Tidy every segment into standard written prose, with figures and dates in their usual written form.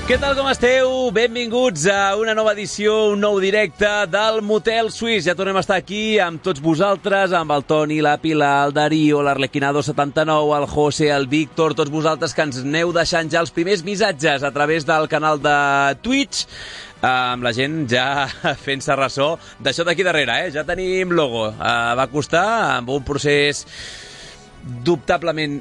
Què tal, com esteu? Benvinguts a una nova edició, un nou directe del Motel Suís. Ja tornem a estar aquí amb tots vosaltres, amb el Toni, la Pilar, el Darío, l'Arlequinado 79, el José, el Víctor, tots vosaltres que ens aneu deixant ja els primers missatges a través del canal de Twitch, amb la gent ja fent-se ressò d'això d'aquí darrere, Ja tenim logo. Va costar, amb un procés dubtablement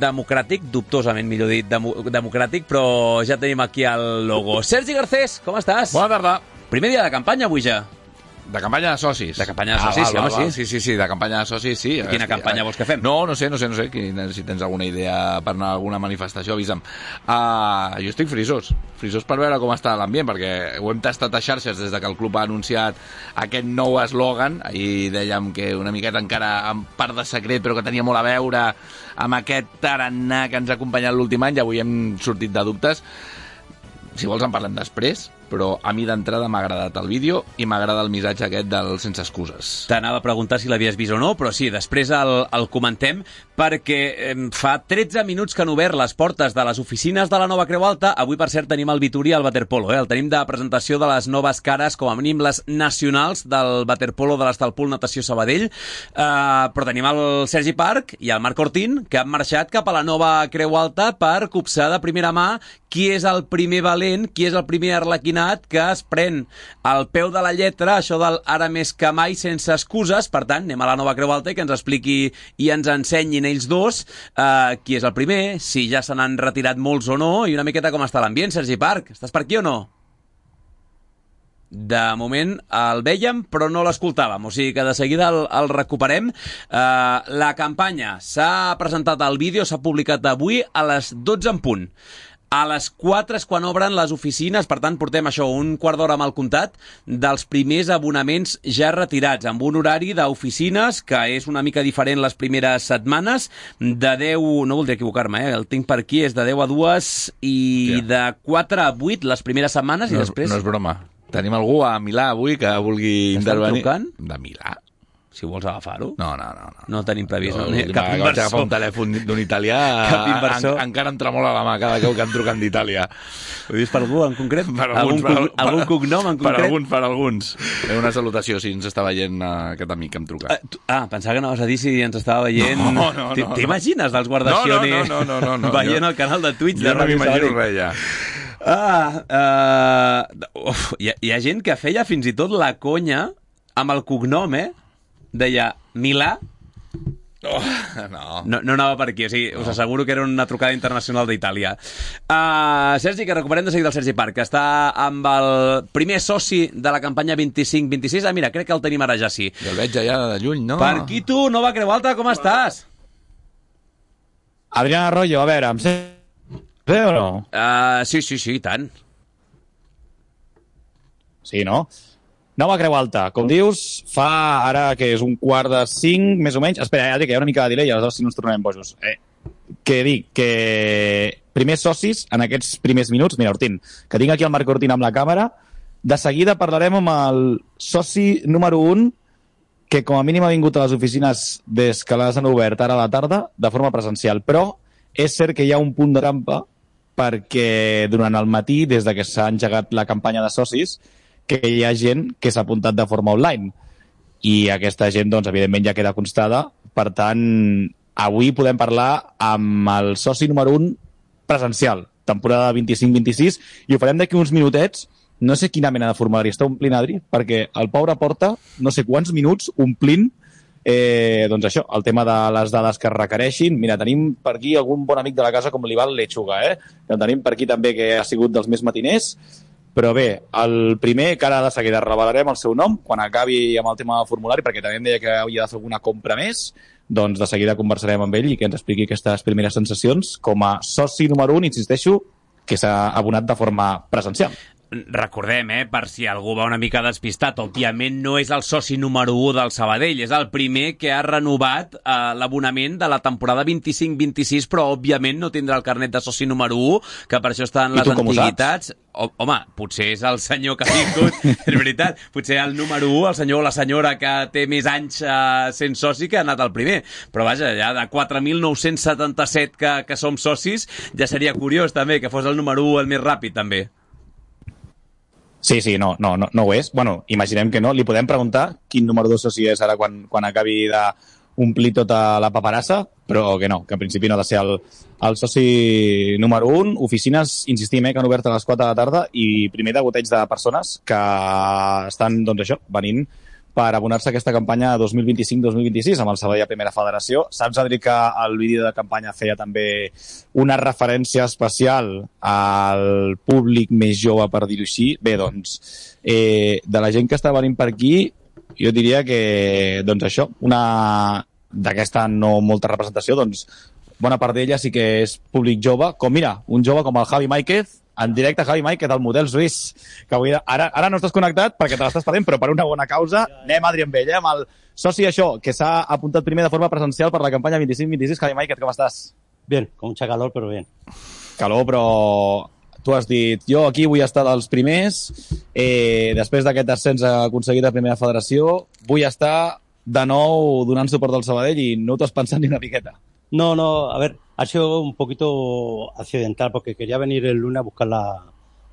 democràtic, dubtosament, millor dit, democràtic, però ja tenim aquí el logo. Sergi Garcés, com estàs? Bona tarda. Primer dia de campanya avui ja. De campanya de socis. De campanya de socis, sí, home, sí. Sí, de campanya de socis, sí. Quina campanya vols que fem? No sé. Si tens alguna idea per anar a alguna manifestació, avisa'm. Jo estic frisós per veure com està l'ambient, perquè ho hem tastat a xarxes des de que el club ha anunciat aquest nou eslògan. Ahir dèiem que una miqueta encara en part de secret, però que tenia molt a veure amb aquest tarannà que ens ha acompanyat l'últim any, i avui hem sortit de dubtes. Si vols en parlem després, però a mi d'entrada m'ha agradat el vídeo i m'agrada el missatge aquest del sense excuses. T'anava a preguntar si l'havies vist o no, però sí, després el comentem, perquè fa 13 minuts que han obert les portes de les oficines de la Nova Creu Alta. Avui, per cert, tenim el Vitoria al waterpolo, El tenim de presentació de les noves cares, com a mínim les nacionals del waterpolo de l'Estalpol Natació Sabadell, però tenim el Sergi Parc i el Marc Ortín, que han marxat cap a la Nova Creu Alta per copsar de primera mà qui és el primer valent, qui és el primer arlequinat que es pren al peu de la lletra això del ara més que mai sense excuses. Per tant, anem a la Nova Creu Alta i que ens expliqui i ens ensenyin ells dos qui és el primer, si ja se n'han retirat molts o no, i una miqueta com està l'ambient. Sergi Parc, estàs per aquí o no? De moment el vèiem, però no l'escoltàvem, o sigui que de seguida el recuperem. La campanya s'ha presentat al vídeo, s'ha publicat avui a les 12 en punt. A les 4 és quan obren les oficines, per tant portem això, un quart d'hora amb el comptat dels primers abonaments ja retirats, amb un horari d'oficines que és una mica diferent les primeres setmanes, de 10, no voldria equivocar-me, el tinc per aquí, és de 10 a 2 i de 4 a 8 les primeres setmanes i després... No és broma. Tenim algú a Milà avui que vulgui intervenir. Estan trucant? De Milà? Si vols agafar-ho. No. No tenim previst. Cap inversor. Vaig agafar un telèfon d'un italià. Cap inversor. Encara em tremola la mà cada cop que em truquen d'Itàlia. Ho dius per algú en concret? Algun cognom en concret? Per alguns. Una salutació si ens està veient aquest amic que em truca. Pensava que anaves a dir si ens estava veient... No. T'imagines dels guardaciones veient el canal de Twitch de Ràdio Sabadell? Jo no m'imagino res, ja. Hi ha gent que feia fins i tot la conya amb el cognom, Deia Milà. No anava per aquí, o sigui, us asseguro que era una trucada internacional d'Itàlia. Sergi, que recuperem de seguida el Sergi Parc, que està amb el primer soci de la campanya 25-26. Mira, crec que el tenim ara ja, sí. Jo el veig allà de lluny, no? Per aquí tu, Nova Creu Alta, com estàs? Adrián Arroyo, a veure, em sé o no? Sí, i tant. Sí, no? Nova Creu Alta, com dius, fa ara que és 4:45, més o menys. Espera, ja dic que hi ha una mica de delay, aleshores si no ens tornarem bojos. Que dic que primers socis en aquests primers minuts, mira, Ortín, que tinc aquí el Marc Ortín amb la càmera, de seguida parlarem amb el soci número 1, que com a mínim ha vingut a les oficines des que les han obert ara a la tarda, de forma presencial. Però és cert que hi ha un punt de trampa, perquè durant el matí, des de que s'ha engegat la campanya de socis, que hi ha gent que s'ha apuntat de forma online i aquesta gent, doncs, evidentment ja queda constada. Per tant, avui podem parlar amb el soci número 1 presencial, temporada 25-26, i ho farem d'aquí uns minutets. No sé quina mena de formulari està omplint, Adri, perquè el pobre porta no sé quants minuts omplint doncs això, el tema de les dades que es requereixin. Mira, tenim per aquí algun bon amic de la casa com l'Ival Lechuga, que el tenim per aquí també, que ha sigut dels més matiners. Però bé, el primer, que ara de seguida revelarem el seu nom, quan acabi amb el tema del formulari, perquè també em deia que havia de fer alguna compra més, doncs de seguida conversarem amb ell i que ens expliqui aquestes primeres sensacions com a soci número 1, insisteixo, que s'ha abonat de forma presencial. recordem, per si algú va una mica despistat, òbviament no és el soci número 1 del Sabadell, és el primer que ha renovat l'abonament de la temporada 25-26, però òbviament no tindrà el carnet de soci número 1, que per això estan les antiguitats. Home, potser és el senyor que ha vingut, és veritat, potser el número 1, el senyor o la senyora que té més anys sent soci, que ha anat el primer. Però vaja, ja de 4.977 que som socis, ja seria curiós també que fos el número 1 el més ràpid també. Sí, no ho és. Bueno, imaginem que no. Li podem preguntar quin número 2 soci és ara quan acabi d'omplir tota la paperassa, però que no, que en principi no ha de ser el soci número 1. Oficines, insistim, que han obert a les 4 de la tarda i primer degoteig de persones que estan, doncs això, venint per abonar-se a aquesta campanya 2025-2026 amb el Sabadell a Primera Federació. Saps, Adri, que el vídeo de campanya feia també una referència especial al públic més jove, per dir-ho així? Bé, doncs, de la gent que està venint per aquí, jo diria que, doncs això, una d'aquesta no molta representació, doncs, bona part d'ella sí que és públic jove, com mira, un jove com el Javi Máiquez, en directe, Javi Máiquez, del model suís, que avui, ara no estàs connectat perquè te l'estàs perdent, però per una bona causa. Anem, Adri, amb ell, amb el soci això, que s'ha apuntat primer de forma presencial per la campanya 25-26. Javi Máiquez, com estàs? Bien, con mucha calor, pero bien. Calor, però tu has dit, jo aquí vull estar dels primers, després d'aquest ascens aconseguit a Primera Federació, vull estar de nou donant suport al Sabadell i no t'ho has pensat ni una miqueta. No, a ver, ha sido un poquito accidental porque quería venir el lunes a buscar la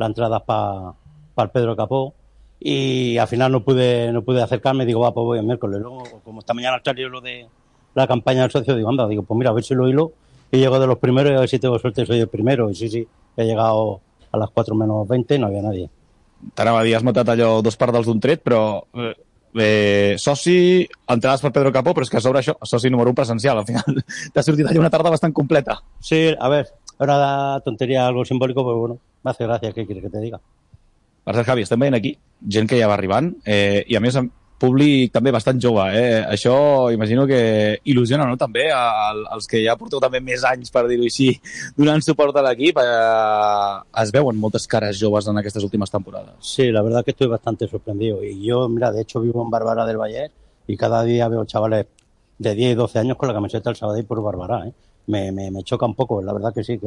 entrada para el Pedro Capó y al final no pude acercarme. Digo, pues voy el miércoles. Luego, como esta mañana salió lo de la campaña del socio, digo, anda, pues mira, a ver si lo hilo y llego de los primeros y a ver si tengo suerte, soy el primero. Y sí, he llegado a las 4 menos 20 y no había nadie. T'anava a dir, has matat allò 2 pardals d'un tret, però soci, entrades per Pedro Capó, però és que a sobre això, soci número 1 presencial, al final t'ha sortit allà una tarda bastant completa. Sí, a ver, una tontería, algo simbólico, pero bueno, me hace gracia, ¿qué quieres que te diga? Per cert, Javi, estem veient aquí gent que ja va arribant, i a més públic també bastant jove, Això imagino que il·lusiona, no?, també als que ja porteu també més anys, per dir-ho així, donant suport a l'equip. Es veuen moltes cares joves en aquestes últimes temporades. Sí, la verdad que estoy bastante sorprendido. Y yo, mira, de hecho vivo en Barberá del Valle y cada día veo chavales de 10 y 12 años con la camiseta del Sabadell por Barberá, Me choca un poco, la verdad que sí,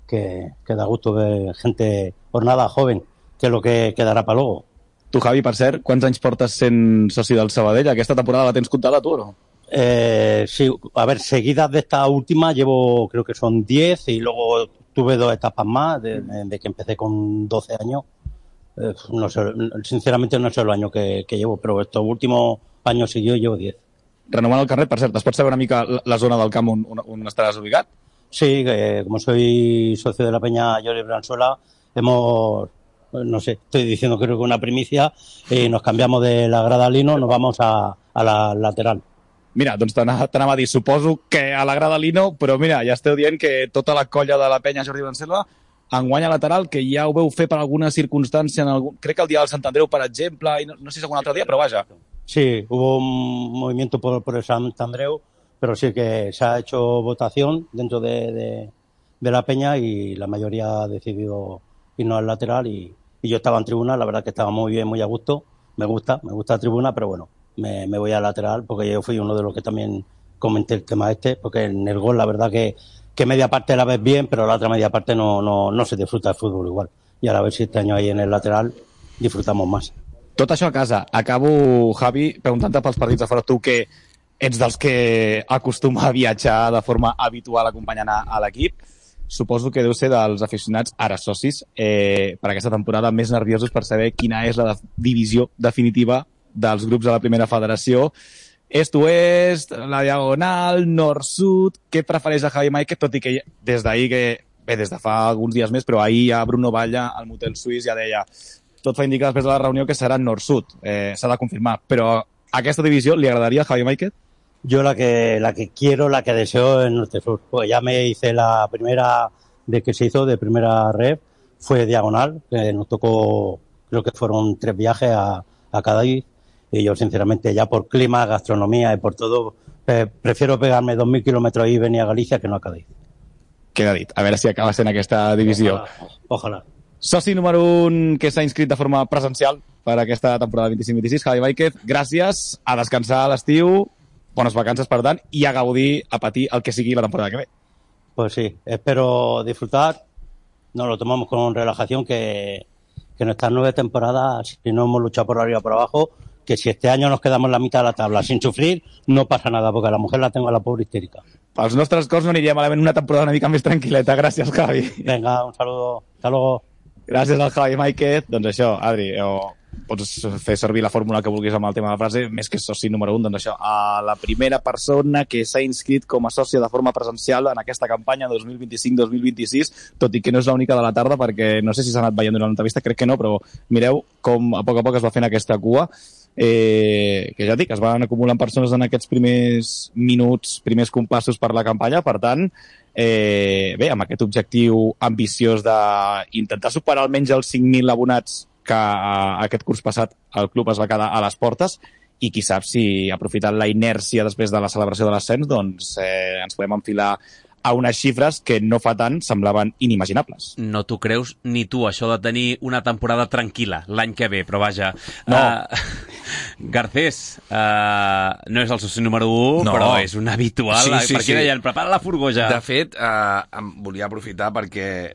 que da gusto ver gente jornada joven, que es lo que quedará para luego. Tu, Javi, per cert, quants anys portes sent soci del Sabadell? Aquesta temporada la tens comptada, tu, o no? Sí, a ver, seguidas de esta última llevo, creo que son 10 y luego tuve 2 etapas más de que empecé con 12 años. No sé, sinceramente no sé los años que llevo, pero estos últimos años seguidos llevo 10. Renovant el carnet, per cert, es pot saber una mica la zona del camp on estaràs ubicat? Sí, como soy socio de la Peña Jordi Branzuela, no sé, estoy diciendo creo que una primicia, nos cambiamos de la grada Lino, nos vamos a la lateral. Mira, doncs t'anava a dir, suposo que a la grada Lino, però mira, ja esteu dient que tota la colla de la Penya Jordi Branzuela enguany a lateral, que ja ho veu fer per alguna circumstància, crec que el dia del Sant Andreu, per exemple, i no sé si algun altre dia, però vaja. Sí, hubo un movimiento por el Sant Andreu, pero sí que se ha hecho votación dentro de la Peña y la mayoría ha decidido irnos al lateral y yo estaba en tribuna, la verdad que estaba muy bien, muy a gusto, me gusta la tribuna, pero bueno, me voy al lateral porque yo fui uno de los que también comenté el tema porque en el gol la verdad que media parte la ves bien, pero la otra media parte no se disfruta el fútbol igual. Y ahora a ver si este año ahí en el lateral disfrutamos más. Tot això a casa. Acabo, Javi, preguntant-te pels partits de fora. Tu que ets dels que acostuma a viatjar de forma habitual acompanyant a l'equip, suposo que deu ser dels aficionats, ara socis, per aquesta temporada més nerviosos per saber quina és la divisió definitiva dels grups de la Primera Federació. Est-oest, la diagonal, nord-sud... Què prefereix a Javi Máiquez, tot i que des d'ahir, des de fa alguns dies més, però ahir ja Bruno Batlle, al motel suís, ja deia tot fa indicar després de la reunió que serà nord-sud. S'ha de confirmar. Però aquesta divisió li agradaria a Javi Máiquez? Yo la que quiero, la que deseo es norte-sur. Pues ya me hice la primera de que se hizo, de primera red, fue diagonal, que nos tocó, creo que fueron 3 viajes a Cádiz. Y yo, sinceramente, ya por clima, gastronomía y por todo, prefiero pegarme 2.000 kilómetros y venir a Galicia que no a Cádiz. Queda dit. A veure si acaba sent aquesta divisió. Ojalá. Soci número 1 que s'ha inscrit de forma presencial per aquesta temporada 25-26, Javi Máiquez, gràcies, a descansar a l'estiu, bones vacances, per tant, i a gaudir, a patir el que sigui la temporada que ve. Pues sí, espero disfrutar. Nos lo tomamos con relajación, que en estas 9 temporadas, si no hemos luchado por arriba o por abajo, que si este año nos quedamos en la mitad de la tabla sin sufrir, no pasa nada, porque a la mujer la tengo a la pobre histérica. Pels nostres cors no aniria malament una temporada una mica més tranquil·leta. Gràcies, Javi. Venga, un saludo. Hasta luego. Gràcies al Javi Máiquez. Doncs això, Adri, pots fer servir la fórmula que vulguis amb el tema de la frase, més que soci número 1, doncs això, a la primera persona que s'ha inscrit com a sòcia de forma presencial en aquesta campanya 2025-2026, tot i que no és l'única de la tarda, perquè no sé si s'ha anat veient durant l'entrevista, crec que no, però mireu com a poc es va fent aquesta cua, que ja dic, es van acumulant persones en aquests primers minuts, primers compassos per la campanya, per tant, bé, amb aquest objectiu ambiciós d'intentar superar almenys els 5.000 abonats que aquest curs passat el club es va quedar a les portes, i qui sap si, aprofitant la inèrcia després de la celebració de l'ascens, doncs ens podem enfilar a unes xifres que no fa tant semblaven inimaginables. No t'ho creus ni tu, això de tenir una temporada tranquil·la l'any que ve, però vaja... No. Garcés, no és el soci número 1, no, però és un habitual. Sí, per aquí deien, prepara la furgó ja. De fet, em volia aprofitar perquè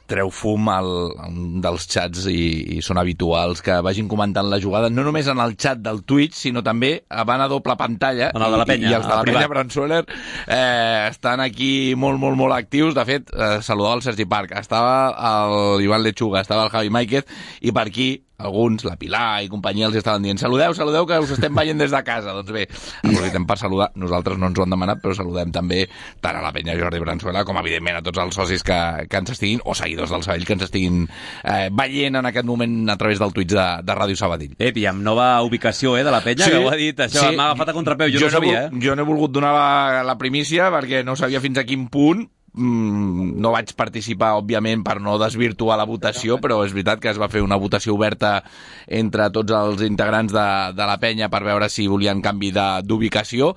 treu fum un dels xats i són habituals que vagin comentant la jugada, no només en el xat del Twitch, sinó també van a doble pantalla, en el de la penya, i els de la penya Bransueler estan aquí molt, molt, molt actius. De fet, saludava el Sergi Parc, estava l'Ivan Lechuga, estava el Javi Máiquez, i per aquí alguns, la Pilar i companyia, els estaven dient saludeu, que us estem veient des de casa. Doncs bé, aprofitem per saludar, nosaltres no ens ho han demanat, però saludem també tant a la penya Jordi Bransuela com evidentment a tots els socis que ens estiguin, o seguidors del Sabadell, que ens estiguin veient en aquest moment a través del Twitch de Ràdio Sabadell. I amb nova ubicació de la penya, sí, que ho ha dit, això sí, m'ha agafat a contrapeu, jo no ho sabia. Jo no he volgut donar la primícia perquè no sabia fins a quin punt. No vaig participar, òbviament, per no desvirtuar la votació, però és veritat que es va fer una votació oberta entre tots els integrants de la penya per veure si volien canvi d'ubicació.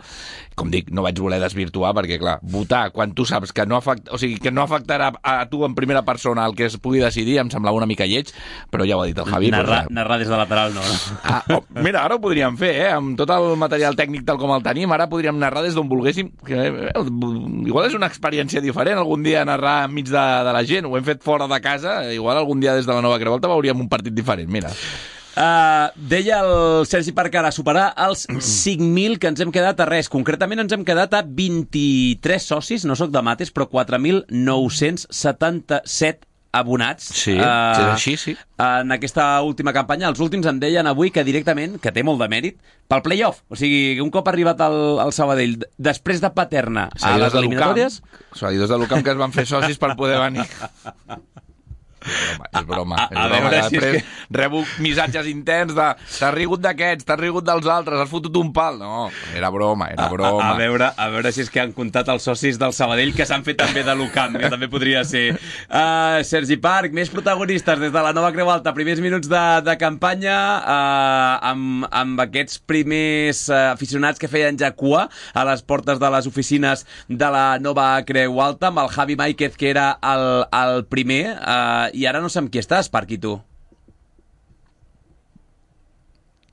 Com dic, no vaig voler desvirtuar perquè, clar, votar quan tu saps que no afectarà a tu en primera persona el que es pugui decidir em semblava una mica lleig, però ja ho ha dit el Javi. Narrar des de lateral no. Mira, ara ho podríem fer, amb tot el material tècnic tal com el tenim, ara podríem narrar des d'on volguéssim. Igual és una experiència diferent algun dia narrar enmig de la gent, ho hem fet fora de casa, igual algun dia des de la Nova Creu Alta veuríem un partit diferent, mira. Deia el Sergi Parc ara superar els 5.000, que ens hem quedat a res. Concretament ens hem quedat a 23 socis, no sóc de mates, però 4.977 abonats. Sí, així, sí. En aquesta última campanya. Els últims em deien avui que directament, que té molt de mèrit, pel play-off. O sigui, un cop arribat al Sabadell, després de Paterna a les eliminatòries... Seguidors de l'UCAM que es van fer socis per poder venir... És broma. A veure si després rebo missatges interns de t'has rigut d'aquests, t'has rigut dels altres, has fotut un pal. No, era broma. A veure si és que han comptat els socis del Sabadell que s'han fet també de l'UCAM, que també podria ser. Sergi Parc, més protagonistes des de la Nova Creu Alta, primers minuts de campanya, amb aquests primers aficionats que feien ja cua a les portes de les oficines de la Nova Creu Alta, amb el Javi Máiquez, que era el primer, i ara no sé amb qui estàs, Parc, i tu?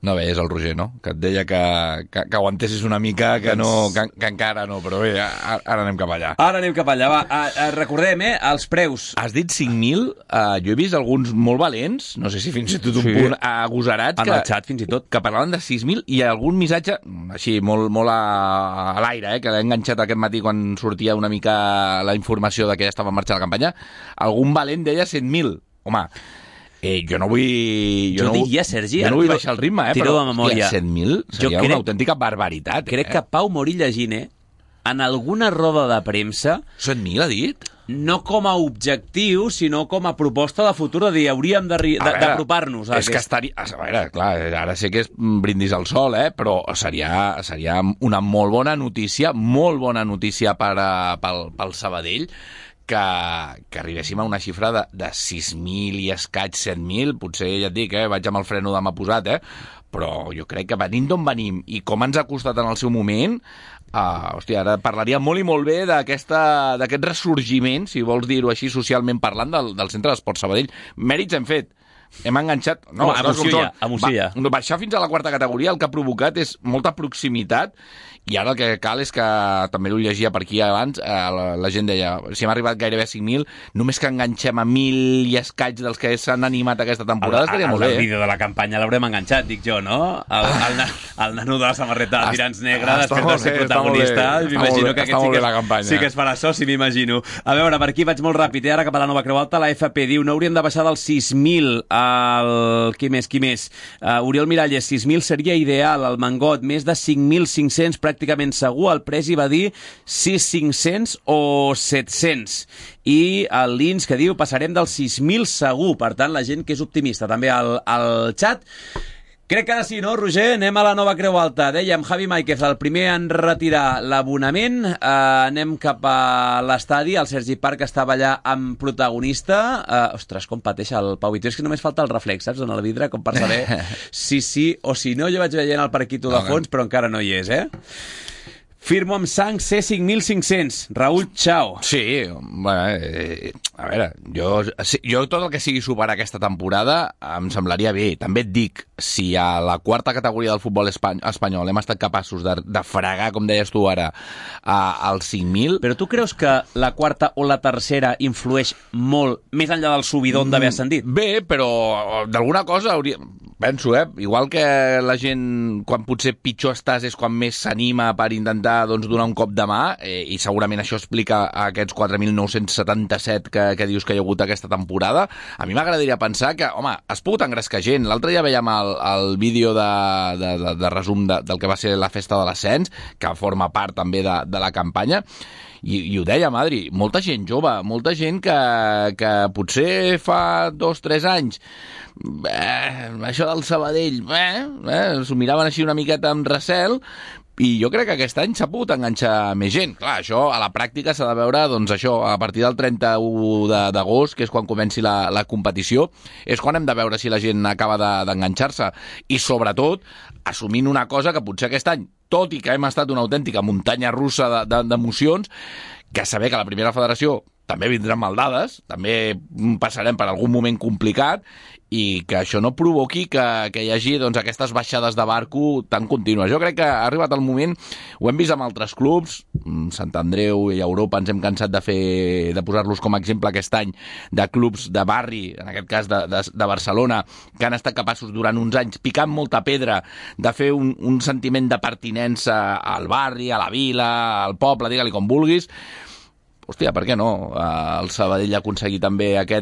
No, bé, és el Roger, no? Que et deia que aguantessis una mica, que encara no, però bé, ara anem cap allà. Va, recordem, els preus. Has dit 5.000, jo he vist alguns molt valents, no sé si fins i tot un punt agosarats, en el xat fins i tot, que parlaven de 6.000, i algun missatge, així, molt a l'aire, que l'he enganxat aquest matí quan sortia una mica la informació de que ja estava en marxa la campanya, algun valent deia 100.000. Home, jo no vull... Jo diria, Sergi... Jo no vull baixar el ritme, però de memòria. 100.000 seria una autèntica barbaritat. Crec que Pau Morí llegint, en alguna roda de premsa... 100.000 ha dit? No com a objectiu, sinó com a proposta de futur, de dir, hauríem d'apropar-nos. És que estaria... A veure, clar, ara sé que és brindis al sol, però seria una molt bona notícia pel Sabadell, que arribéssim a una xifra de 6.000 i escaig, 7.000, potser ja et dic, vaig amb el freno de mà posat, però jo crec que venint d'on venim i com ens ha costat en el seu moment, Hòstia, ara parlaria molt i molt bé d'aquest ressorgiment, si vols dir-ho així socialment parlant, del Centre d'Esports Sabadell. Mèrits hem fet. Hem enganxat... No, emoció ja. Baixar fins a la quarta categoria el que ha provocat és molta proximitat, i ara el que cal és que, també ho llegia per aquí abans, la gent deia, si hem arribat gairebé a 5.000, només que enganxem a 1.000 i escaig dels que s'han animat aquesta temporada estaria molt bé. El vídeo de la campanya l'haurem enganxat, dic jo, no? El nano de la samarreta de tirants negre, després de ser protagonista, m'imagino que aquest sí que es farà soci, m'imagino. A veure, per aquí vaig molt ràpid, ara cap a la Nova Creu Alta, la FP diu, no hauríem de baixar dels 6.000 Qui més? Oriol Miralles, 6.000 seria ideal. El Mangot, més de 5.500 pràcticament segur. El Presi va dir 6.500 o 700. I el Lins que diu passarem dels 6.000 segur. Per tant, la gent que és optimista també al xat. Crec que ara sí, no, Roger? Anem a la Nova Creu Alta. Dèiem, Javi Máiquez, el primer en retirar l'abonament. Anem cap a l'estadi. El Sergi Parc estava allà amb protagonista. Ostres, com pateix el Pau Vitó. És que només falta el reflex, saps, en el vidre, com per saber si sí o si no. Jo vaig veient el Parquito de fons, però encara no hi és, Firmo amb sang C5500. Raül, ciao. Sí, bueno, a veure, jo tot el que sigui superar aquesta temporada em semblaria bé. També et dic, si a la quarta categoria del futbol espanyol hem estat capaços de fregar, com deies tu ara, als 5.000... Però tu creus que la quarta o la tercera influeix molt, més enllà del subidon d'haver ascendit? Bé, però d'alguna cosa hauria... Penso, igual que la gent, quan potser pitjor estàs, és quan més s'anima per intentar donar un cop de mà, i segurament això explica aquests 4.977 que dius que hi ha hagut aquesta temporada. A mi m'agradaria pensar que, home, has pogut engrescar gent. L'altre dia veiem el vídeo de resum del que va ser la festa de l'ascens, que forma part també de la campanya, i ho deia, Adri, molta gent jove, molta gent que potser fa 2-3 anys això del Sabadell s'ho miraven així una miqueta amb recel, i jo crec que aquest any s'ha pogut enganxar més gent. Clar, això a la pràctica s'ha de veure, doncs això, a partir del 31 d'agost, que és quan comenci la competició, és quan hem de veure si la gent acaba d'enganxar-se. I sobretot, assumint una cosa que potser aquest any, tot i que hem estat una autèntica muntanya russa d'emocions, que saber que la primera federació també vindran maldades, també passarem per algun moment complicat, i que això no provoqui que hi hagi aquestes baixades de barco tan contínues. Jo crec que ha arribat el moment, ho hem vist amb altres clubs, Sant Andreu i Europa ens hem cansat de posar-los com a exemple aquest any, de clubs de barri, en aquest cas de Barcelona, que han estat capaços durant uns anys, picant molta pedra, de fer un sentiment de pertinença al barri, a la vila, al poble, digue-li com vulguis. Hòstia, per què no? El Sabadell ha aconseguit també que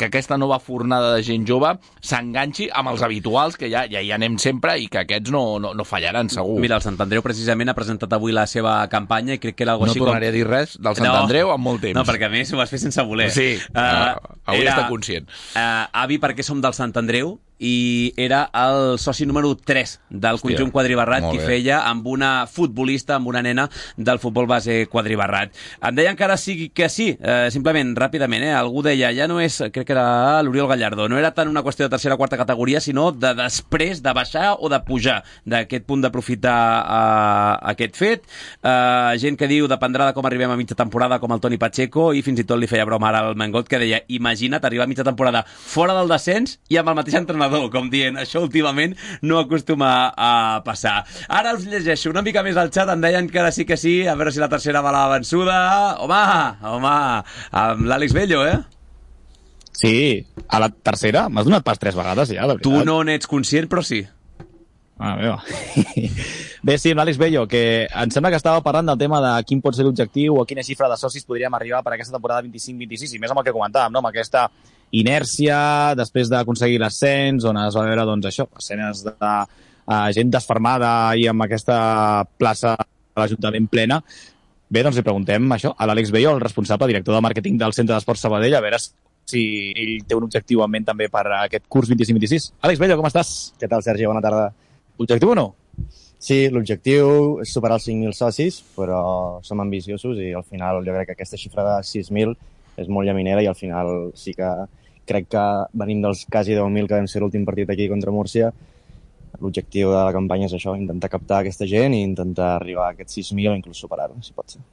aquesta nova fornada de gent jove s'enganxi amb els habituals, que ja hi anem sempre, i que aquests no fallaran, segur. Mira, el Sant Andreu precisament ha presentat avui la seva campanya i crec que era algo així com... No tornaré a dir res del Sant Andreu en molt temps. No, perquè a més ho vas fer sense voler. Sí, avui està conscient. Avi, per què som del Sant Andreu? I era el soci número 3 del conjunt quadribarrat, qui feia amb una futbolista, amb una nena del futbol base quadribarrat. Em deien que ara sí que sí, simplement, ràpidament, algú deia, ja no és, crec que era l'Oriol Gallardo, no era tant una qüestió de tercera o quarta categoria, sinó de després de baixar o de pujar, d'aquest punt d'aprofitar aquest fet. Gent que diu, dependrà de com arribem a mitja temporada, com el Toni Pacheco, i fins i tot li feia broma ara al Mangot, que deia, imagina't arribar a mitja temporada fora del descens i amb el mateix entrenador, com dient, això últimament no acostuma a passar. Ara us llegeixo una mica més al xat, em deien que ara sí que sí, a veure si la tercera va la vençuda. Home, amb l'Àlex Bello, Sí, a la tercera m'has donat pas 3 vegades ja, de veritat. Tu no n'ets conscient, però sí. Meva. Bé, sí, amb l'Àlex Bello, que em sembla que estava parlant del tema de quin pot ser l'objectiu o quina xifra de socis podríem arribar per aquesta temporada 25-26, i més amb el que comentàvem, no? Amb aquesta inèrcia, després d'aconseguir l'ascens, on es va veure, doncs, això, escenes de gent desfermada i amb aquesta plaça de l'Ajuntament plena. Bé, doncs li preguntem això a l'Àlex Bello, el responsable director de màrqueting del Centre d'Esports Sabadell, a veure si ell té un objectiu en ment també per aquest curs 25-26. Àlex Bello, com estàs? Què tal, Sergi? Bona tarda. Objectiu o no? Sí, l'objectiu és superar els 5.000 socis, però som ambiciosos i al final jo crec que aquesta xifra de 6.000 és molt llaminera i al final sí que crec que venim dels quasi 10.000 que vam ser l'últim partit aquí contra Múrcia, l'objectiu de la campanya és això, intentar captar aquesta gent i intentar arribar a aquests 6.000 o inclús superar-ho, si pot ser.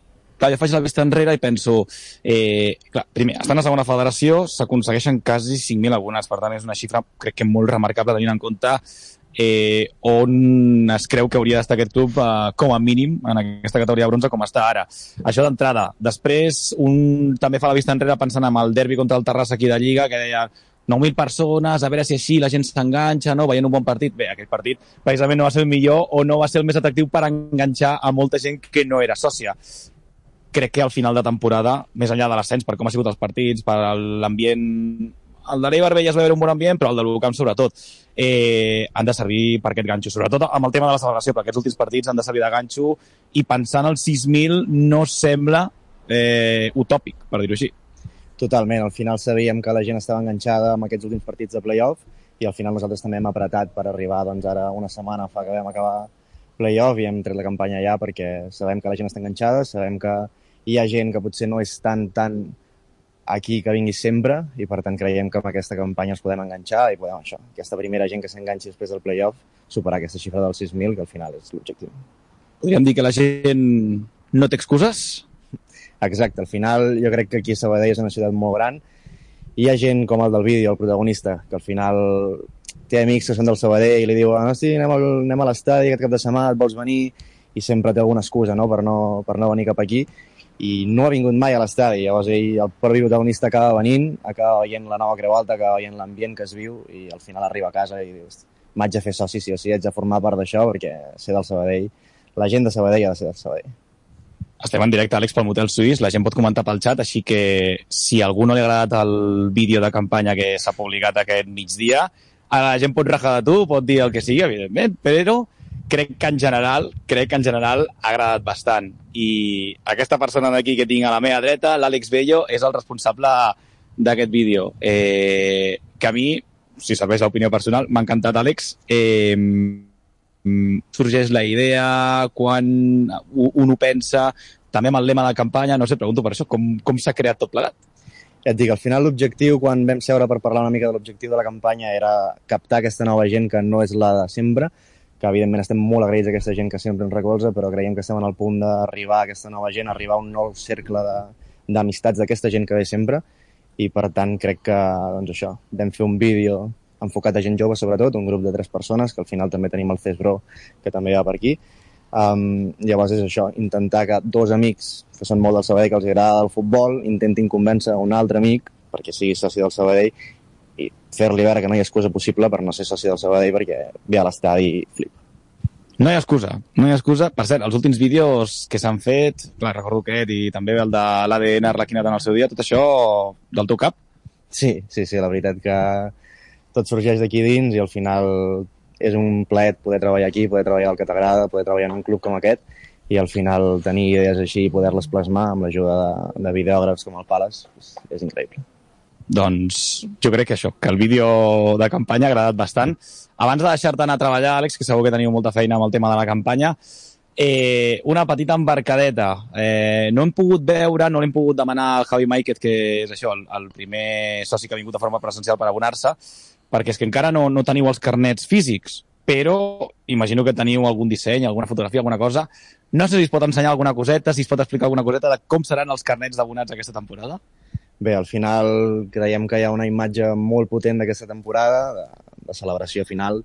Clar, jo faig la vista enrere i penso, clar, primer, estan a segona federació, s'aconsegueixen quasi 5.000 abonats, per tant és una xifra, crec que molt remarcable tenint en compte on es creu que hauria d'estar aquest club com a mínim en aquesta categoria de bronze com està ara. Això d'entrada. Després, un també fa la vista enrere pensant en el derbi contra el Terrassa aquí de Lliga, que deia 9.000 persones, a veure si així la gent s'enganxa, no? Veient un bon partit. Bé, aquell partit precisament no va ser el millor o no va ser el més atractiu per enganxar a molta gent que no era sòcia. Crec que al final de temporada, més enllà de l'ascens, per com ha sigut els partits, per l'ambient... El de l'Eibar ja es va veure un bon ambient, però el de l'Ucamp sobretot han de servir per aquest ganxo. Sobretot amb el tema de la celebració, perquè aquests últims partits han de servir de ganxo i pensant en els 6.000 no sembla utòpic, per dir-ho així. Totalment, al final sabíem que la gent estava enganxada amb aquests últims partits de play-off i al final nosaltres també hem apretat per arribar, doncs ara una setmana fa que vam acabar play-off i hem tret la campanya allà perquè sabem que la gent està enganxada, sabem que hi ha gent que potser no és tan aquí que vingui sempre i per tant creiem que amb aquesta campanya els podem enganxar i podem això, aquesta primera gent que s'enganxi després del play-off, superar aquesta xifra dels 6.000 que al final és l'objectiu. Podríem dir que la gent no té excuses? Exacte, al final jo crec que aquí a Sabadell és una ciutat molt gran i hi ha gent com el del vídeo, el protagonista, que al final té amics que són del Sabadell i li diuen hosti, anem a l'estadi aquest cap de setmana, et vols venir? I sempre té alguna excusa no? per no venir cap aquí i no ha vingut mai a l'estadi. Llavors ell, el propi protagonista acaba venint, acaba veient la nova Creu Alta, acaba veient l'ambient que es viu i al final arriba a casa i dius m'haig de fer soci sí o sí, haig de formar part d'això perquè ser del Sabadell, la gent de Sabadell ha de ser del Sabadell. Estem en directe, Àlex, pel Motel Suís, la gent pot comentar pel xat, així que si a algú no li ha agradat el vídeo de campanya que s'ha publicat aquest migdia, la gent pot rajar de tu, pot dir el que sigui, evidentment, però crec que en general ha agradat bastant. I aquesta persona d'aquí que tinc a la meva dreta, l'Àlex Bello, és el responsable d'aquest vídeo. Que a mi, si serveix l'opinió personal, m'ha encantat, Àlex. Sorgeix la idea, quan un ho pensa, també amb el lema de campanya, no sé, pregunto per això, com s'ha creat tot plegat? Ja et dic, al final l'objectiu, quan vam seure per parlar una mica de l'objectiu de la campanya, era captar aquesta nova gent que no és la de sempre, que evidentment estem molt agraïts a aquesta gent que sempre ens recolza, però creiem que estem en el punt d'arribar a aquesta nova gent, arribar a un nou cercle d'amistats d'aquesta gent que ve sempre, i per tant crec que, doncs això, vam fer un vídeo enfocat a gent jove sobretot, un grup de 3 persones, que al final també tenim el Cesbro, que també va per aquí. Llavors és això, intentar que 2 amics, que són molt del Sabadell, que els agrada el futbol, intentin convèncer un altre amic perquè sigui soci del Sabadell i fer-li veure que no hi ha excusa possible per no ser soci del Sabadell perquè ve a l'estadi i flipa. No hi ha excusa. Per cert, els últims vídeos que s'han fet, clar, recordo aquest i també el de l'ADN Arlequinat en el seu dia, tot això del teu cap? Sí, la veritat que tot sorgeix d'aquí dins i al final és un plaer poder treballar aquí, poder treballar el que t'agrada, poder treballar en un club com aquest i al final tenir idees així i poder-les plasmar amb l'ajuda de videògrafs com el Pales és increïble. Doncs jo crec que això, que el vídeo de campanya ha agradat bastant. Abans de deixar-te anar a treballar, Àlex, que segur que teniu molta feina amb el tema de la campanya, una petita embarcadeta. No hem pogut veure, no l'hem pogut demanar al Javi Maiquet, que és això, el primer soci que ha vingut de forma presencial per abonar-se, perquè és que encara no teniu els carnets físics, però imagino que teniu algun disseny, alguna fotografia, alguna cosa. No sé si es pot ensenyar alguna coseta, si es pot explicar alguna coseta de com seran els carnets d'abonats aquesta temporada. Bé, al final creiem que hi ha una imatge molt potent d'aquesta temporada, de celebració final,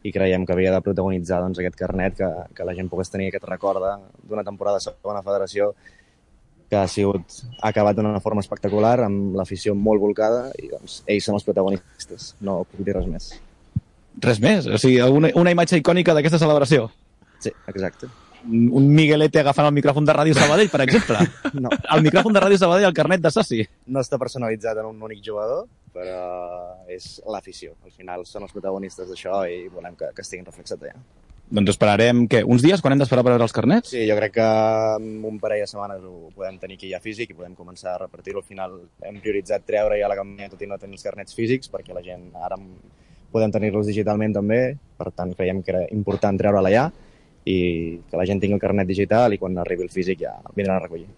i creiem que havia de protagonitzar doncs, aquest carnet, que la gent pogués tenir aquest record d'una temporada de segona federació que ha acabat d'una forma espectacular, amb l'afició molt volcada, i doncs ells són els protagonistes, no puc dir res més. Res més? O sigui, una imatge icònica d'aquesta celebració? Sí, exacte. Un Miguelete agafant el micròfon de Ràdio Sabadell, per exemple? No. El micròfon de Ràdio Sabadell, el carnet de soci? No està personalitzat en un únic jugador, però és l'afició. Al final són els protagonistes d'això i volem que estiguin reflexats allà. Doncs esperarem, què? Uns dies? Quan hem d'esperar per veure els carnets? Sí, jo crec que en un parell de setmanes ho podem tenir aquí ja físic i podem començar a repartir-ho. Al final hem prioritzat treure ja la campanya tot i no tenir els carnets físics, perquè la gent ara podem tenir-los digitalment també, per tant creiem que era important treure-la ja i que la gent tingui el carnet digital i quan arribi el físic ja vindran a recollir.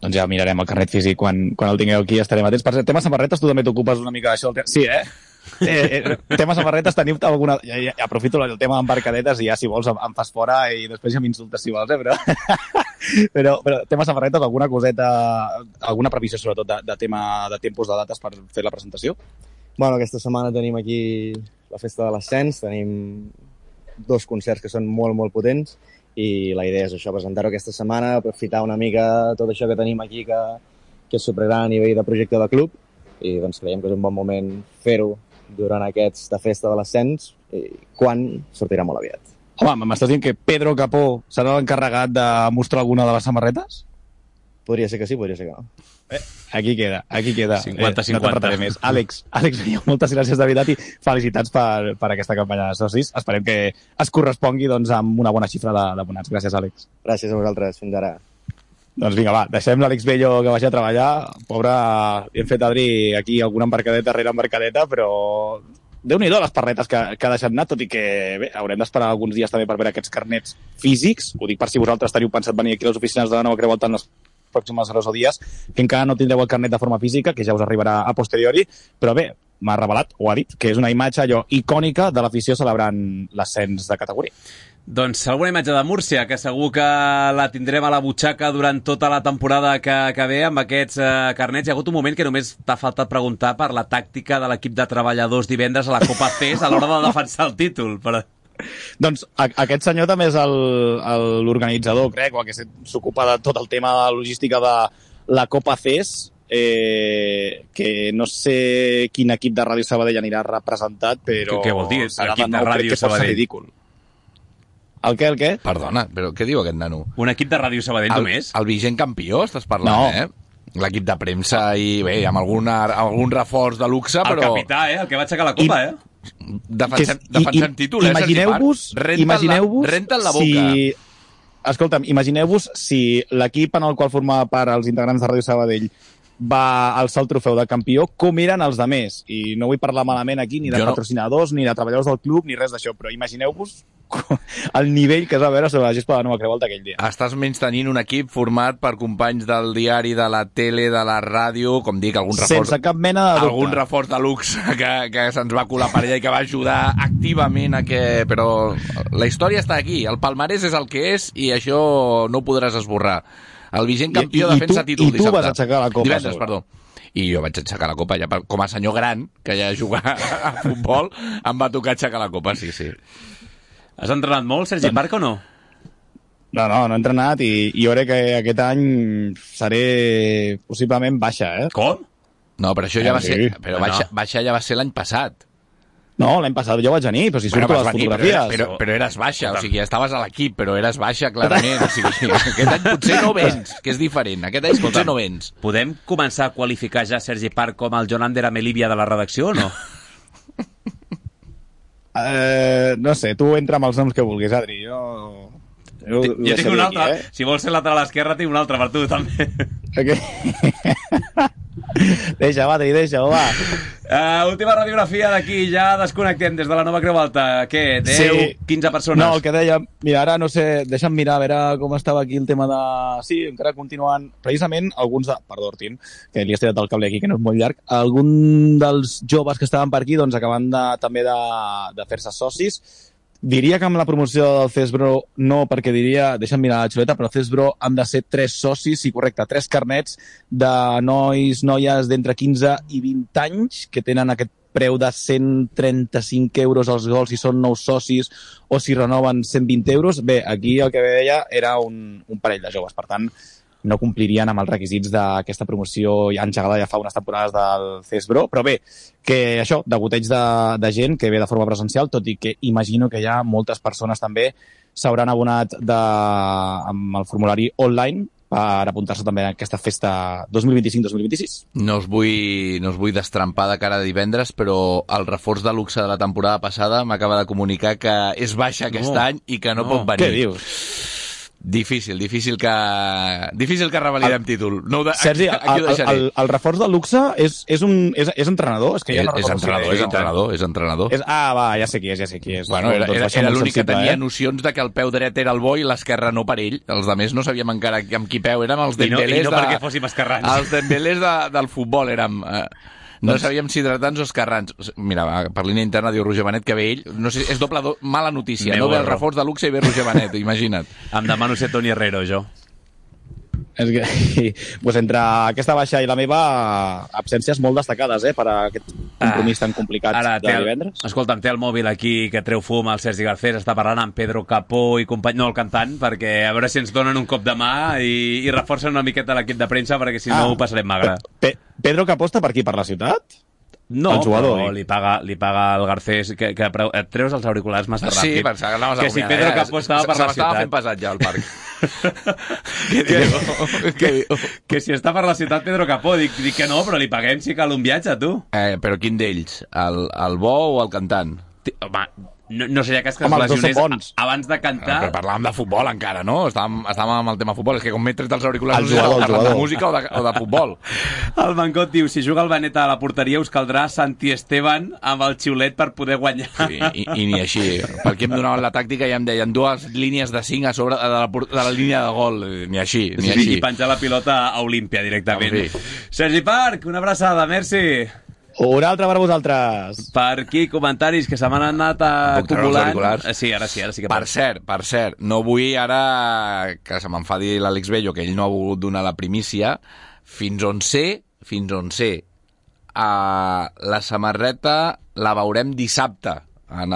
Doncs ja mirarem el carnet físic quan el tingueu aquí, estarem atents. Per cert, tema samarretes, tu també t'ocupes una mica d'això. Sí, Tema samarretes, teniu alguna... Ja aprofito el tema d'embarcadetes i ja, si vols, em fas fora i després ja m'insultes si vols, però tema samarretes, alguna coseta, alguna previsió sobretot de tema de tempos de dates per fer la presentació? Bueno, aquesta setmana tenim aquí la festa de l'ascens, tenim 2 concerts que són molt, molt potents i la idea és això, presentar-ho aquesta setmana, aprofitar una mica tot això que tenim aquí que és supergran a nivell de projecte de club i doncs creiem que és un bon moment fer-ho durant aquesta festa de l'ascens quan sortirà molt aviat. Home, m'estàs dient que Pedro Capó serà l'encarregat de mostrar alguna de les samarretes? Podria ser que sí, podria ser que no. Aquí queda. 50-50. No te'n retaré més. Àlex, moltes gràcies de veritat i felicitats per aquesta campanya de socis. Esperem que es correspongui doncs, amb una bona xifra d'abonats. Gràcies, Àlex. Gràcies a vosaltres. Fins ara. Doncs vinga, va, deixem l'Àlex Bello que vagi a treballar. Pobre, hem fet, Adri, aquí alguna embarcadeta rere embarcadeta, però Déu-n'hi-do les parretes que ha deixat anar, tot i que bé, haurem d'esperar alguns dies també per veure aquests carnets físics. Ho dic per si vosaltres teniu pensat venir aquí a les oficines de la Nova Creu Alta en les pròximes hores o dies, que encara no tindreu el carnet de forma física, que ja us arribarà a posteriori, però bé, m'ha revelat, o ha dit, que és una imatge allò icònica de l'afició celebrant l'ascens de categoria. Doncs alguna imatge de Múrcia, que segur que la tindrem a la butxaca durant tota la temporada que ve amb aquests carnets. Hi ha hagut un moment que només t'ha faltat preguntar per la tàctica de l'equip de treballadors divendres a la Copa CES a l'hora de defensar el títol. Però... Doncs aquest senyor també és l'organitzador, crec, o el que s'ocupa de tot el tema de la logística de la Copa CES, que no sé quin equip de Ràdio Sabadell anirà representat, però... Què vol dir, equip de Ràdio Sabadell? Ridícul. El què? Perdona, però què diu aquest nano? Un equip de Ràdio Sabadell només? El vigent campió estàs parlant, No. L'equip de premsa i bé, amb algun reforç de luxe, però... El capità, el que va aixecar la copa, Defensem títol, Imagineu-vos... Renta'n la boca. Escolta'm, imagineu-vos si l'equip en el qual formava part els integrants de Ràdio Sabadell va alçar el trofeu de campió, com eren els demés. I no vull parlar malament aquí ni de patrocinadors, ni de treballadors del club, ni res d'això, però imagineu-vos el nivell que es va veure sobre la gespa de la Nova Creu Alta aquell dia. Estàs menys tenint un equip format per companys del diari, de la tele, de la ràdio, com dic, algun reforç... Sense cap mena de dubte. Algun reforç de luxe que se'ns va colar per allà i que va ajudar activament a que... Però la història està aquí, el palmarès és el que és i això no ho podràs esborrar. El vigent campió defensa títol dissabte. I tu vas aixecar la copa. Divendres, perdó. I jo vaig aixecar la copa, ja com a senyor gran, que ja jugar a futbol, em va tocar aixecar la copa, sí. Has entrenat molt, Sergi Parc, o no? No he entrenat i jo crec que aquest any seré possiblement baixa, Com? No, però això ja va ser... Però baixa ja va ser l'any passat. No, l'any passat jo vaig venir, però si surto a les fotografies. Però eres baixa, o sigui, estaves a l'equip, però eres baixa, clarament. O sigui, aquest any potser no vens, que és diferent. Aquest any potser no vens. Podem començar a qualificar ja Sergi Parc com el Jonander Amelívia de la redacció, o no? No sé, tu entra amb els noms que vulguis, Adri. Jo tinc un altre. Aquí, Si vols ser lateral esquerra, tinc un altre per tu, també. Deixa, Adri, va. Última radiografia d'aquí, ja desconnectem des de la Nova Creu Alta. Què, 10, 15 persones? No, el que deia, mira, ara no sé, deixa'm mirar a veure com estava aquí el tema de... Sí, encara continuen, precisament, alguns de... Perdó, Ortin, que li has tirat el cable aquí, que no és molt llarg. Algun dels joves que estaven per aquí, doncs, acaben també de fer-se socis. Diria que amb la promoció del CESBRO no, perquè diria, deixa'm mirar la xuleta, però al CESBRO han de ser 3 socis, sí, correcte, 3 carnets de noies d'entre 15 i 20 anys que tenen aquest preu de 135 euros als gols si són nous socis o si renoven 120 euros. Bé, aquí el que veia era un parell de joves, per tant, no complirien amb els requisits d'aquesta promoció ja engegada ja fa unes temporades del CESBRO, però bé, que això, degoteig de gent que ve de forma presencial, tot i que imagino que ja moltes persones també s'hauran abonat amb el formulari online per apuntar-se també a aquesta festa 2025-2026. No us vull destrampar de cara a divendres, però el reforç de luxe de la temporada passada m'acaba de comunicar que és baixa aquest any i que no pot venir. Què dius? Difícil que revalidem títol. No, Sergi, el reforç de luxe és entrenador? És que ja no és entrenador. Va, ja sé qui és. Bueno, era l'únic que tenia nocions de que el peu dret era el bo i l'esquerra no per ell. Els altres no sabíem encara amb qui peu. Érem els Dembélés perquè fóssim esquerrans. Els Dembélés del futbol érem... No sabíem si hidratants o escarrans. Mira, per línia interna diu Roger Benet que ve ell. No sé, és doble mala notícia. No ve el reforç de luxe i ve Roger Benet, imagina't. Em demano ser Toni Herrero, jo. És que, pues entre aquesta baixa i la meva, absències molt destacades, per a aquest compromís tan complicat de divendres. Escolta'm, té el mòbil aquí que treu fum el Sergi Garcés, està parlant amb Pedro Capó i company, no el cantant, perquè a veure si ens donen un cop de mà i reforcen una miqueta l'equip de premsa, perquè si no ho passarem magre. Pedro Capó està per aquí, per la ciutat? No, però li paga el Garcés que et treus els auriculars massa ràpid. Sí, pensava que anaves a que si Pedro Capó estava per la ciutat. S'estava fent pesat ja al parc. Que si està per la ciutat Pedro Capó, dic que no, però li paguem si cal un viatge, tu. Però quin d'ells? El bo o el cantant? Home, no seria cas que es lesionés abans de cantar. Però parlàvem de futbol encara, no? Estàvem amb el tema futbol. És que com m'he tret els auriculars, el jugador. De música o de futbol. El Mancot diu, si juga el Benet a la porteria us caldrà Santi Esteban amb el xiulet per poder guanyar. Sí, i ni així. Perquè em donaven la tàctica i em deien 2 línies de 5 a sobre de la línia de gol. Ni així. I penjar la pilota a Olímpia directament. Sí. Sergi Parc, una abraçada, merci. Una altra per a vosaltres. Per aquí, comentaris que se m'han anat acumulant. Sí, ara sí que... Per cert, no vull ara que se m'enfadi l'Àlex Bello, que ell no ha volgut donar la primícia, fins on sé, la samarreta la veurem dissabte, en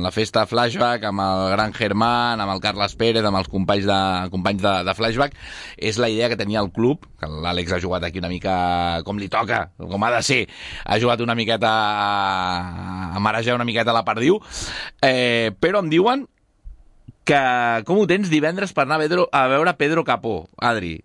la festa Flashback, amb el gran Germán, amb el Carles Pérez, amb els companys de Flashback. És la idea que tenia el club, que l'Àlex ha jugat aquí una mica com li toca, com ha de ser. Ha jugat una miqueta a marejar una miqueta la perdiu, però em diuen que com ho tens divendres per anar a veure Pedro Capó, Adri?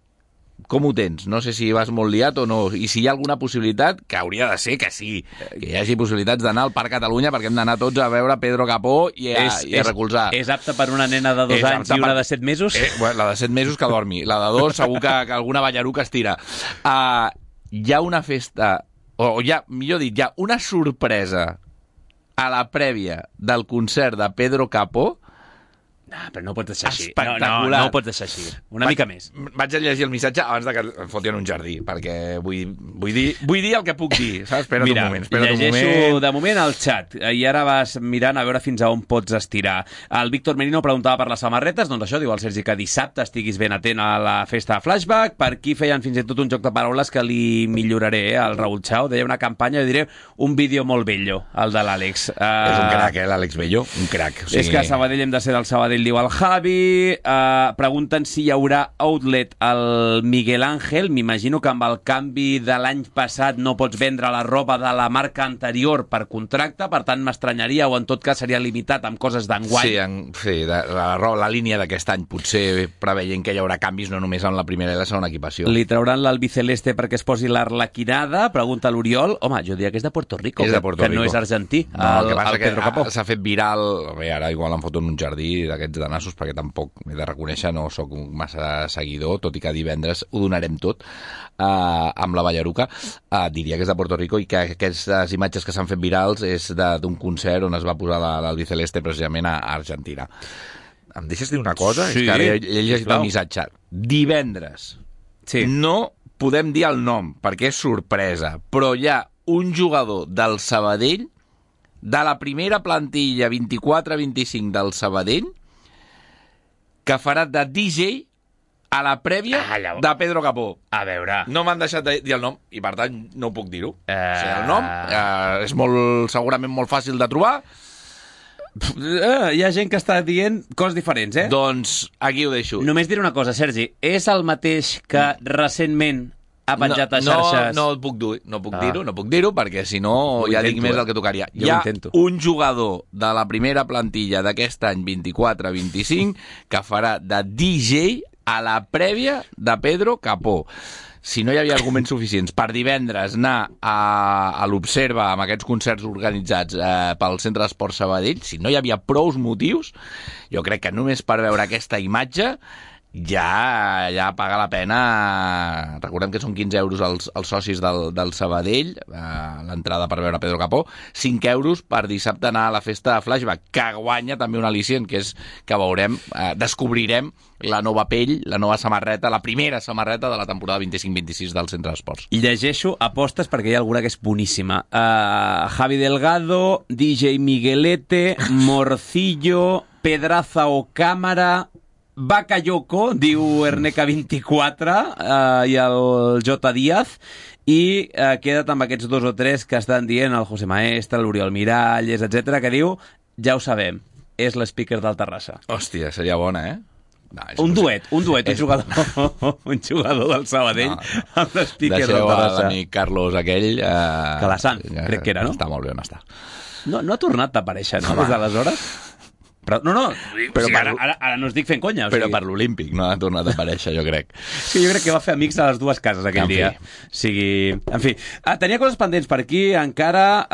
Com ho tens? No sé si vas molt liat o no, i si hi ha alguna possibilitat, que hauria de ser que sí, que hi hagi possibilitats d'anar al Parc Catalunya, perquè hem d'anar tots a veure Pedro Capó i a recolzar. És apte per una nena de 2 anys i una de 7 mesos? La de 7 mesos que dormi, la de 2 segur que alguna ballaruca es tira. Hi ha una festa, millor dit, hi ha una sorpresa a la prèvia del concert de Pedro Capó. No, però no ho pots deixar així. Espectacular. No ho pots deixar així. Una mica més. Vaig a llegir el missatge abans de que em fotin un jardí, perquè vull dir el que puc dir, saps? Espera't un moment. Llegeixo de moment el xat, i ara vas mirant a veure fins a on pots estirar. El Víctor Merino preguntava per les samarretes, doncs això, diu el Sergi, que dissabte estiguis ben atent a la festa Flashback. Per aquí feien fins i tot un joc de paraules que li milloraré, al Raúl Chao. Deia una campanya, jo diré un vídeo molt bello, el de l'Àlex. És un crac, l'Àlex Bello, un crac. O sigui... És que a Sabadell hem de ser del Sabadell, diu el Javi. Pregunten si hi haurà outlet al Miguel Ángel. M'imagino que amb el canvi de l'any passat no pots vendre la roba de la marca anterior per contracte, per tant m'estranyaria, o en tot cas seria limitat amb coses d'enguany. Sí, la línia d'aquest any potser preveient que hi haurà canvis no només en la primera i la segona equipació. Li trauran l'albiceleste perquè es posi l'arlequinada? Pregunta l'Oriol. Home, jo diria que és de Puerto Rico, que no és argentí. No, el que passa que s'ha fet viral. Bé, ara igual em foto en un jardí d'aquests de nassos, perquè tampoc m'he de reconèixer, no sóc massa seguidor, tot i que divendres ho donarem tot amb la Ballaruca. Diria que és de Puerto Rico i que aquestes imatges que s'han fet virals és d'un concert on es va posar l'albiceleste precisament a Argentina. Em deixes dir una cosa? Sí, és que ara he llegit el missatge. Divendres no podem dir el nom perquè és sorpresa, però hi ha un jugador del Sabadell, de la primera plantilla 24-25 del Sabadell, que farà de DJ a la prèvia de Pedro Capó. A veure... No m'han deixat de dir el nom, i per tant no ho puc dir-ho. O sigui, el nom és segurament molt fàcil de trobar. Hi ha gent que està dient coses diferents, Doncs aquí ho deixo. Només diré una cosa, Sergi. És el mateix que recentment ha penjat a xarxes? No puc dir-ho, perquè si no ja dic més del que tocaria. Hi ha un jugador de la primera plantilla d'aquest any 24-25 que farà de DJ a la prèvia de Pedro Capó. Si no hi havia arguments suficients per divendres anar a l'Observa amb aquests concerts organitzats pel Centre d'Esport Sabadell, si no hi havia prous motius, jo crec que només per veure aquesta imatge ja paga la pena. Recordem que són 15 euros els socis del Sabadell, l'entrada per veure Pedro Capó, 5 euros per dissabte anar a la festa de Flashback, que guanya també un al·licient, que és que veurem, descobrirem la nova pell, la nova samarreta, la primera samarreta de la temporada 25-26 del Centre d'Esports. Llegeixo apostes perquè hi ha alguna que és boníssima. Javi Delgado, DJ Miguelete, Morcillo, Pedraza o Cámara, Bakayoko, diu Erneca24, i el J. Díaz, i queda't amb aquests 2 o 3 que estan dient el José Maestre, l'Oriol Miralles, etc, que diu, ja ho sabem, és l'speaker del Terrassa. Hòstia, seria bona, eh? No, un duet, un jugador del Sabadell amb l'speaker del Terrassa. L'amic Carlos aquell... Calasan, crec que era, no? Està molt bé on està. No ha tornat a aparèixer, no? Des d'aleshores? Però, però ara no es dic fent conya. Però per l'Olímpic no ha tornat a aparèixer, jo crec. Sí, jo crec que va fer amics a les dues cases aquell dia. En fi. Tenia coses pendents per aquí, encara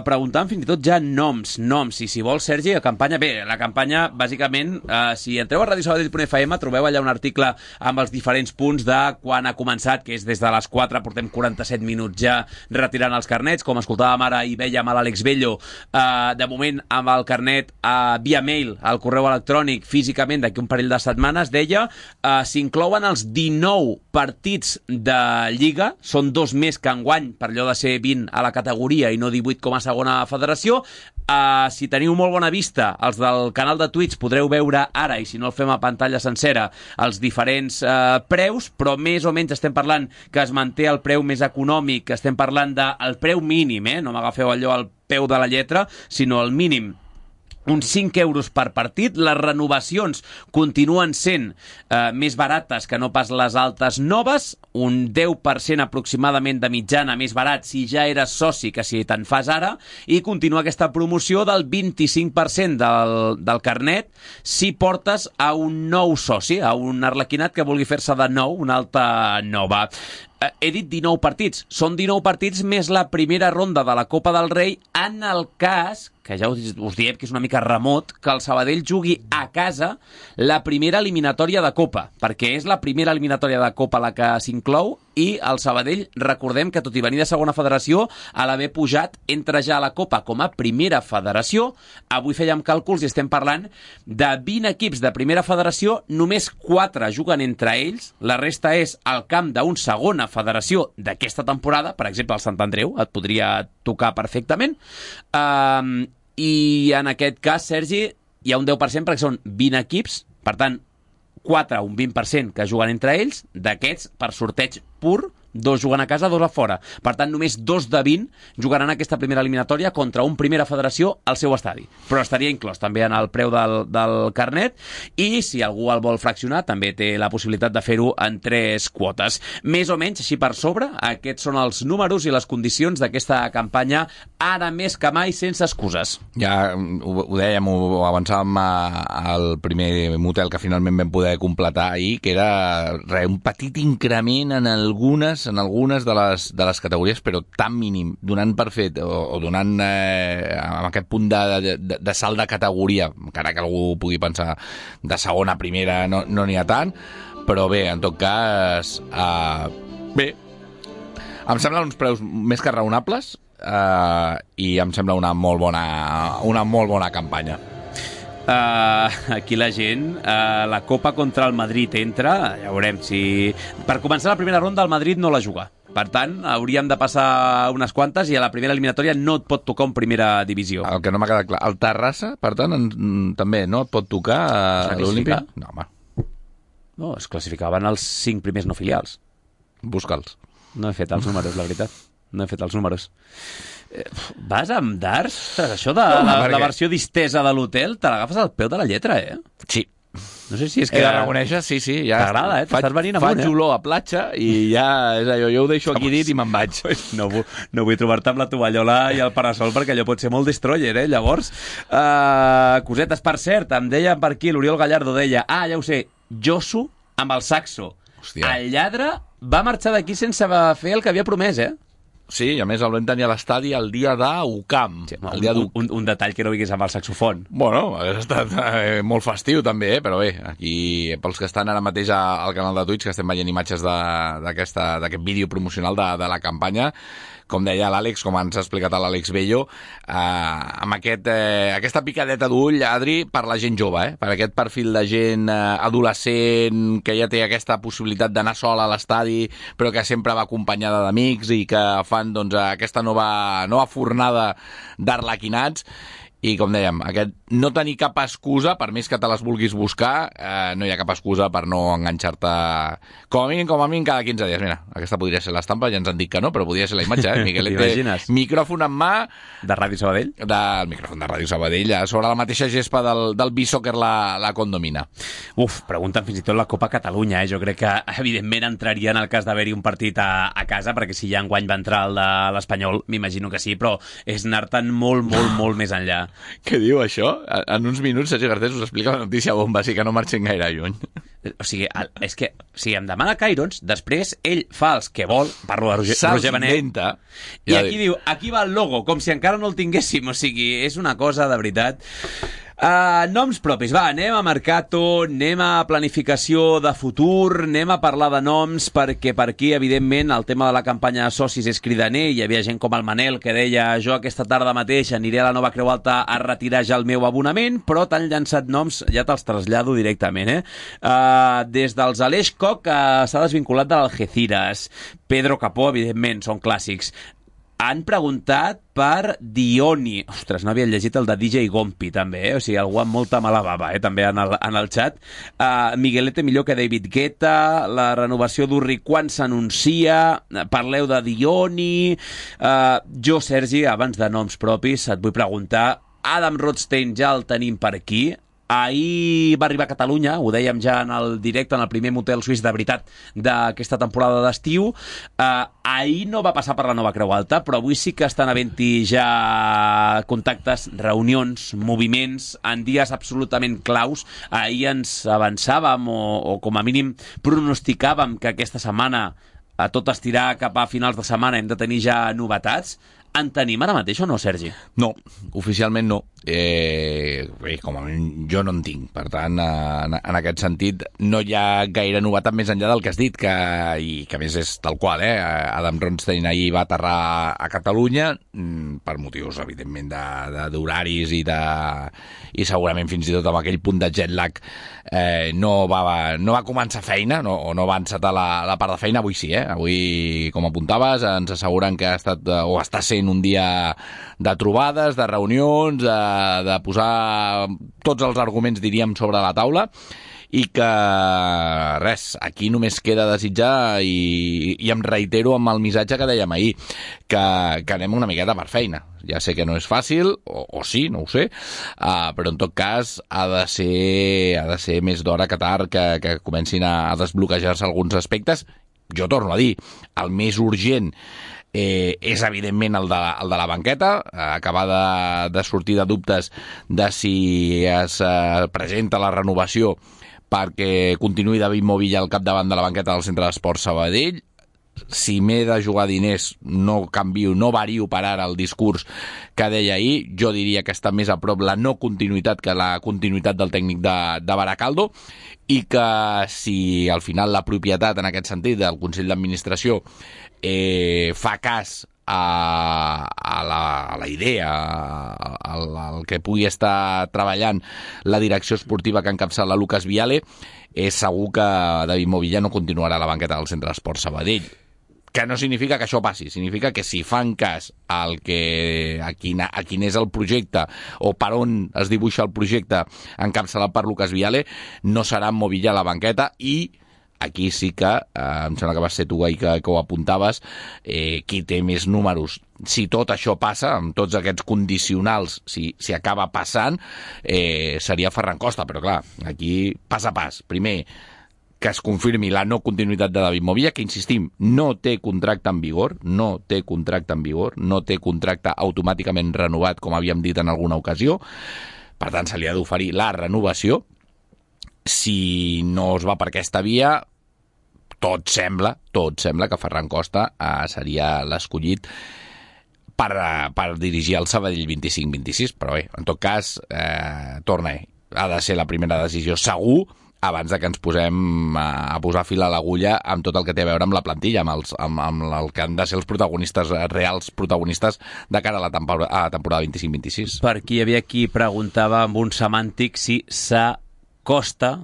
preguntant fins i tot ja noms. I si vols, Sergi, la campanya... Bé, la campanya, bàsicament, si entreu a radiosabadell.fm, trobeu allà un article amb els diferents punts de quan ha començat, que és des de les 4, portem 47 minuts ja retirant els carnets, com escoltàvem ara i vèiem a l'Àlex Bello, de moment amb el carnet via mail al correu electrònic físicament d'aquí un parell de setmanes, deia, s'inclouen els 19 partits de Lliga, són 2 més que enguany, per allò de ser 20 a la categoria i no 18 com a segona federació. Si teniu molt bona vista, els del canal de Twitch podreu veure ara, i si no el fem a pantalla sencera, els diferents preus, però més o menys estem parlant que es manté el preu més econòmic, estem parlant del preu mínim, no m'agafeu allò al peu de la lletra, sinó el mínim, uns 5 euros per partit. Les renovacions continuen sent més barates que no pas les altes noves, un 10% aproximadament de mitjana més barat si ja eres soci que si te'n fas ara, i continua aquesta promoció del 25% del carnet si portes a un nou soci, a un arlequinat que vulgui fer-se de nou, una alta nova. He dit 19 partits. Són 19 partits més la primera ronda de la Copa del Rei en el cas, que ja us diem que és una mica remot, que el Sabadell jugui a casa la primera eliminatòria de Copa, perquè és la primera eliminatòria de Copa la que s'inclou, i el Sabadell, recordem que tot i venir de segona federació, a l'haver pujat, entra ja a la Copa com a primera federació. Avui fèiem càlculs i estem parlant de 20 equips de primera federació, només 4 juguen entre ells, la resta és al camp d'un segona federació d'aquesta temporada, per exemple el Sant Andreu, et podria tocar perfectament, i en aquest cas, Sergi, hi ha un 10% perquè són 20 equips, per tant, 4, un 20% que juguen entre ells, d'aquests, per sorteig pur, 2 juguen a casa, 2 a fora. Per tant, només 2 de 20 jugaran aquesta primera eliminatòria contra un primera federació al seu estadi. Però estaria inclòs també en el preu del carnet, i si algú el vol fraccionar, també té la possibilitat de fer-ho en 3 quotes. Més o menys, així per sobre, aquests són els números i les condicions d'aquesta campanya, ara més que mai, sense excuses. Ja ho dèiem, ho avançàvem al primer motel que finalment vam poder completar ahir, que era un petit increment en algunes de les categories, però tan mínim, donant per fet o donant amb aquest punt de salt de categoria, encara que algú pugui pensar de segona a primera no n'hi ha tant, però bé, en tot cas bé, em semblen uns preus més que raonables, i em sembla una molt bona campanya. Aquí la gent, la Copa contra el Madrid entra, ja veurem si... Per començar la primera ronda el Madrid no la juga, per tant hauríem de passar unes quantes, i a la primera eliminatòria no et pot tocar en primera divisió. El que no m'ha quedat clar, el Terrassa, per tant, també no et pot tocar a l'Olímpic? No, home. No, es classificaven els 5 primers no filials. Busca'ls. No he fet els números, la veritat. No he fet els números. Vas amb darts? Ostres, això de la versió distesa de l'hotel te l'agafes al peu de la lletra, Sí. No sé si és que... He de reconèixer, sí. Ja t'agrada, t'estàs venint amunt, Faig olor a platja i ja és allò, jo ho deixo aquí dit i me'n vaig. No vull trobar-te amb la tovallola i el parasol, perquè allò pot ser molt destroyer, llavors. Cosetes, per cert, em deia per aquí, l'Oriol Gallardo deia, ja ho sé, Josu amb el saxo. Hòstia. El lladre va marxar d'aquí sense fer el que havia promès, Sí, i a més el vam tenir a l'estadi el dia d'Ucam. Sí, un detall que no vingués amb el saxofon. Bueno, ha estat molt festiu també, però bé, aquí pels que estan ara mateix al canal de Twitch, que estem veient imatges d'aquest vídeo promocional de la campanya, com deia l'Àlex, com ens ha explicat l'Àlex Bello, amb aquesta picadeta d'ull, Adri, per la gent jove, per aquest perfil de gent adolescent que ja té aquesta possibilitat d'anar sola a l'estadi, però que sempre va acompanyada d'amics i que fan doncs, aquesta nova fornada d'arlequinats. I, com dèiem, aquest no tenir cap excusa, per més que te les vulguis buscar, no hi ha cap excusa per no enganxar-te com a mínim cada 15 dies. Mira, aquesta podria ser l'estampa, ja ens han dit que no, però podria ser la imatge, Miguelete, micròfon en mà... De Ràdio Sabadell? Del micròfon de Ràdio Sabadell, sobre la mateixa gespa del B-Soccer la condomina. Pregunten fins i tot la Copa Catalunya, Jo crec que, evidentment, entraria en el cas d'haver-hi un partit a casa, perquè si ja enguany va entrar el de l'Espanyol, m'imagino que sí, però és anar-te'n molt, molt, molt més enllà. Què diu això? En uns minuts Sergi Garcés us explica la notícia bomba, així que no marxin gaire lluny. O sigui, és que si em demana Cairons, després ell fa els que vol, parlo de Roger Benet, i aquí diu, aquí va el logo, com si encara no el tinguéssim, o sigui, és una cosa de veritat. Noms propis, anem a Mercato, anem a planificació de futur, anem a parlar de noms, perquè per aquí, evidentment, el tema de la campanya de socis és cridaner. Hi havia gent com el Manel que deia, jo aquesta tarda mateix aniré a la Nova Creu Alta a retirar ja el meu abonament, però t'han llançat noms, ja te'ls trasllado directament, des dels Aleix Koch, que s'ha desvinculat de l'Algeciras, Pedro Capó, evidentment, són clàssics. Han preguntat per Dioni. Ostres, no havia llegit el de DJ Gompi, també, O sigui, algú amb molta mala bava, també en el xat. Miguelete millor que David Guetta, la renovació d'Urri quan s'anuncia, parleu de Dioni... Jo, Sergi, abans de noms propis, et vull preguntar, Adam Rothstein ja el tenim per aquí. Ahir va arribar a Catalunya, ho dèiem ja en el directe, en el primer motel suís de veritat d'aquesta temporada d'estiu. Ahir no va passar per la Nova Creu Alta, però avui sí que estan havent-hi ja contactes, reunions, moviments, en dies absolutament claus. Ahir ens avançàvem o com a mínim pronosticàvem que aquesta setmana, a tot estirar cap a finals de setmana, hem de tenir ja novetats. En tenim ara mateix o no, Sergi? No, oficialment no. Com a mínim jo no en tinc. Per tant, en aquest sentit, no hi ha gaire novetat més enllà del que has dit, i que a més és tal qual. Adam Rothstein ahir va aterrar a Catalunya per motius, evidentment, d'horaris i segurament fins i tot amb aquell punt de jet lag no va començar feina, o no va encetar la part de feina. Avui sí, Avui, com apuntaves, ens asseguren que ha estat o està sent un dia de trobades, de reunions, de posar tots els arguments, diríem, sobre la taula, i que res, aquí només queda desitjar i em reitero amb el missatge que dèiem ahir, que anem una miqueta per feina. Ja sé que no és fàcil, o sí, no ho sé, però en tot cas ha de ser més d'hora que tard que comencin a desbloquejar-se alguns aspectes. Jo torno a dir, el més urgent és evidentment el de la banqueta, acabar de sortir de dubtes de si es presenta la renovació perquè continuï David Movilla al capdavant de la banqueta del Centre d'Esports Sabadell. Si m'he de jugar diners, no vario per ara el discurs que deia ahir. Jo diria que està més a prop la no continuïtat que la continuïtat del tècnic de Baracaldo, i que si al final la propietat, en aquest sentit, del Consell d'Administració fa cas a la idea, al que pugui estar treballant la direcció esportiva que encapçala Lucas Viale, és segur que David Movilla no continuarà a la banqueta del Centre d'Esports Sabadell. Que no significa que això passi, significa que si fan cas a quin és el projecte o per on es dibuixa el projecte encapçalat per Lucas Viale, no serà Movilla a la banqueta. I aquí sí que, em sembla que vas ser tu que ho apuntaves, qui té més números. Si tot això passa, amb tots aquests condicionals, si acaba passant, seria Ferran Costa, però clar, aquí pas a pas. Primer, que es confirmi la no continuïtat de David Movilla, que, insistim, no té contracte en vigor, no té contracte automàticament renovat, com havíem dit en alguna ocasió. Per tant, se li ha d'oferir la renovació. Si no es va per aquesta via, tot sembla que Ferran Costa seria l'escollit per dirigir el Sabadell 25-26, però bé, en tot cas, torna, ha de ser la primera decisió segur abans de que ens posem a posar fil a l'agulla amb tot el que té a veure amb la plantilla, amb el que han de ser els protagonistes, reals protagonistes de cara a la temporada 25-26. Per aquí hi havia qui preguntava amb un semàntic si s'acosta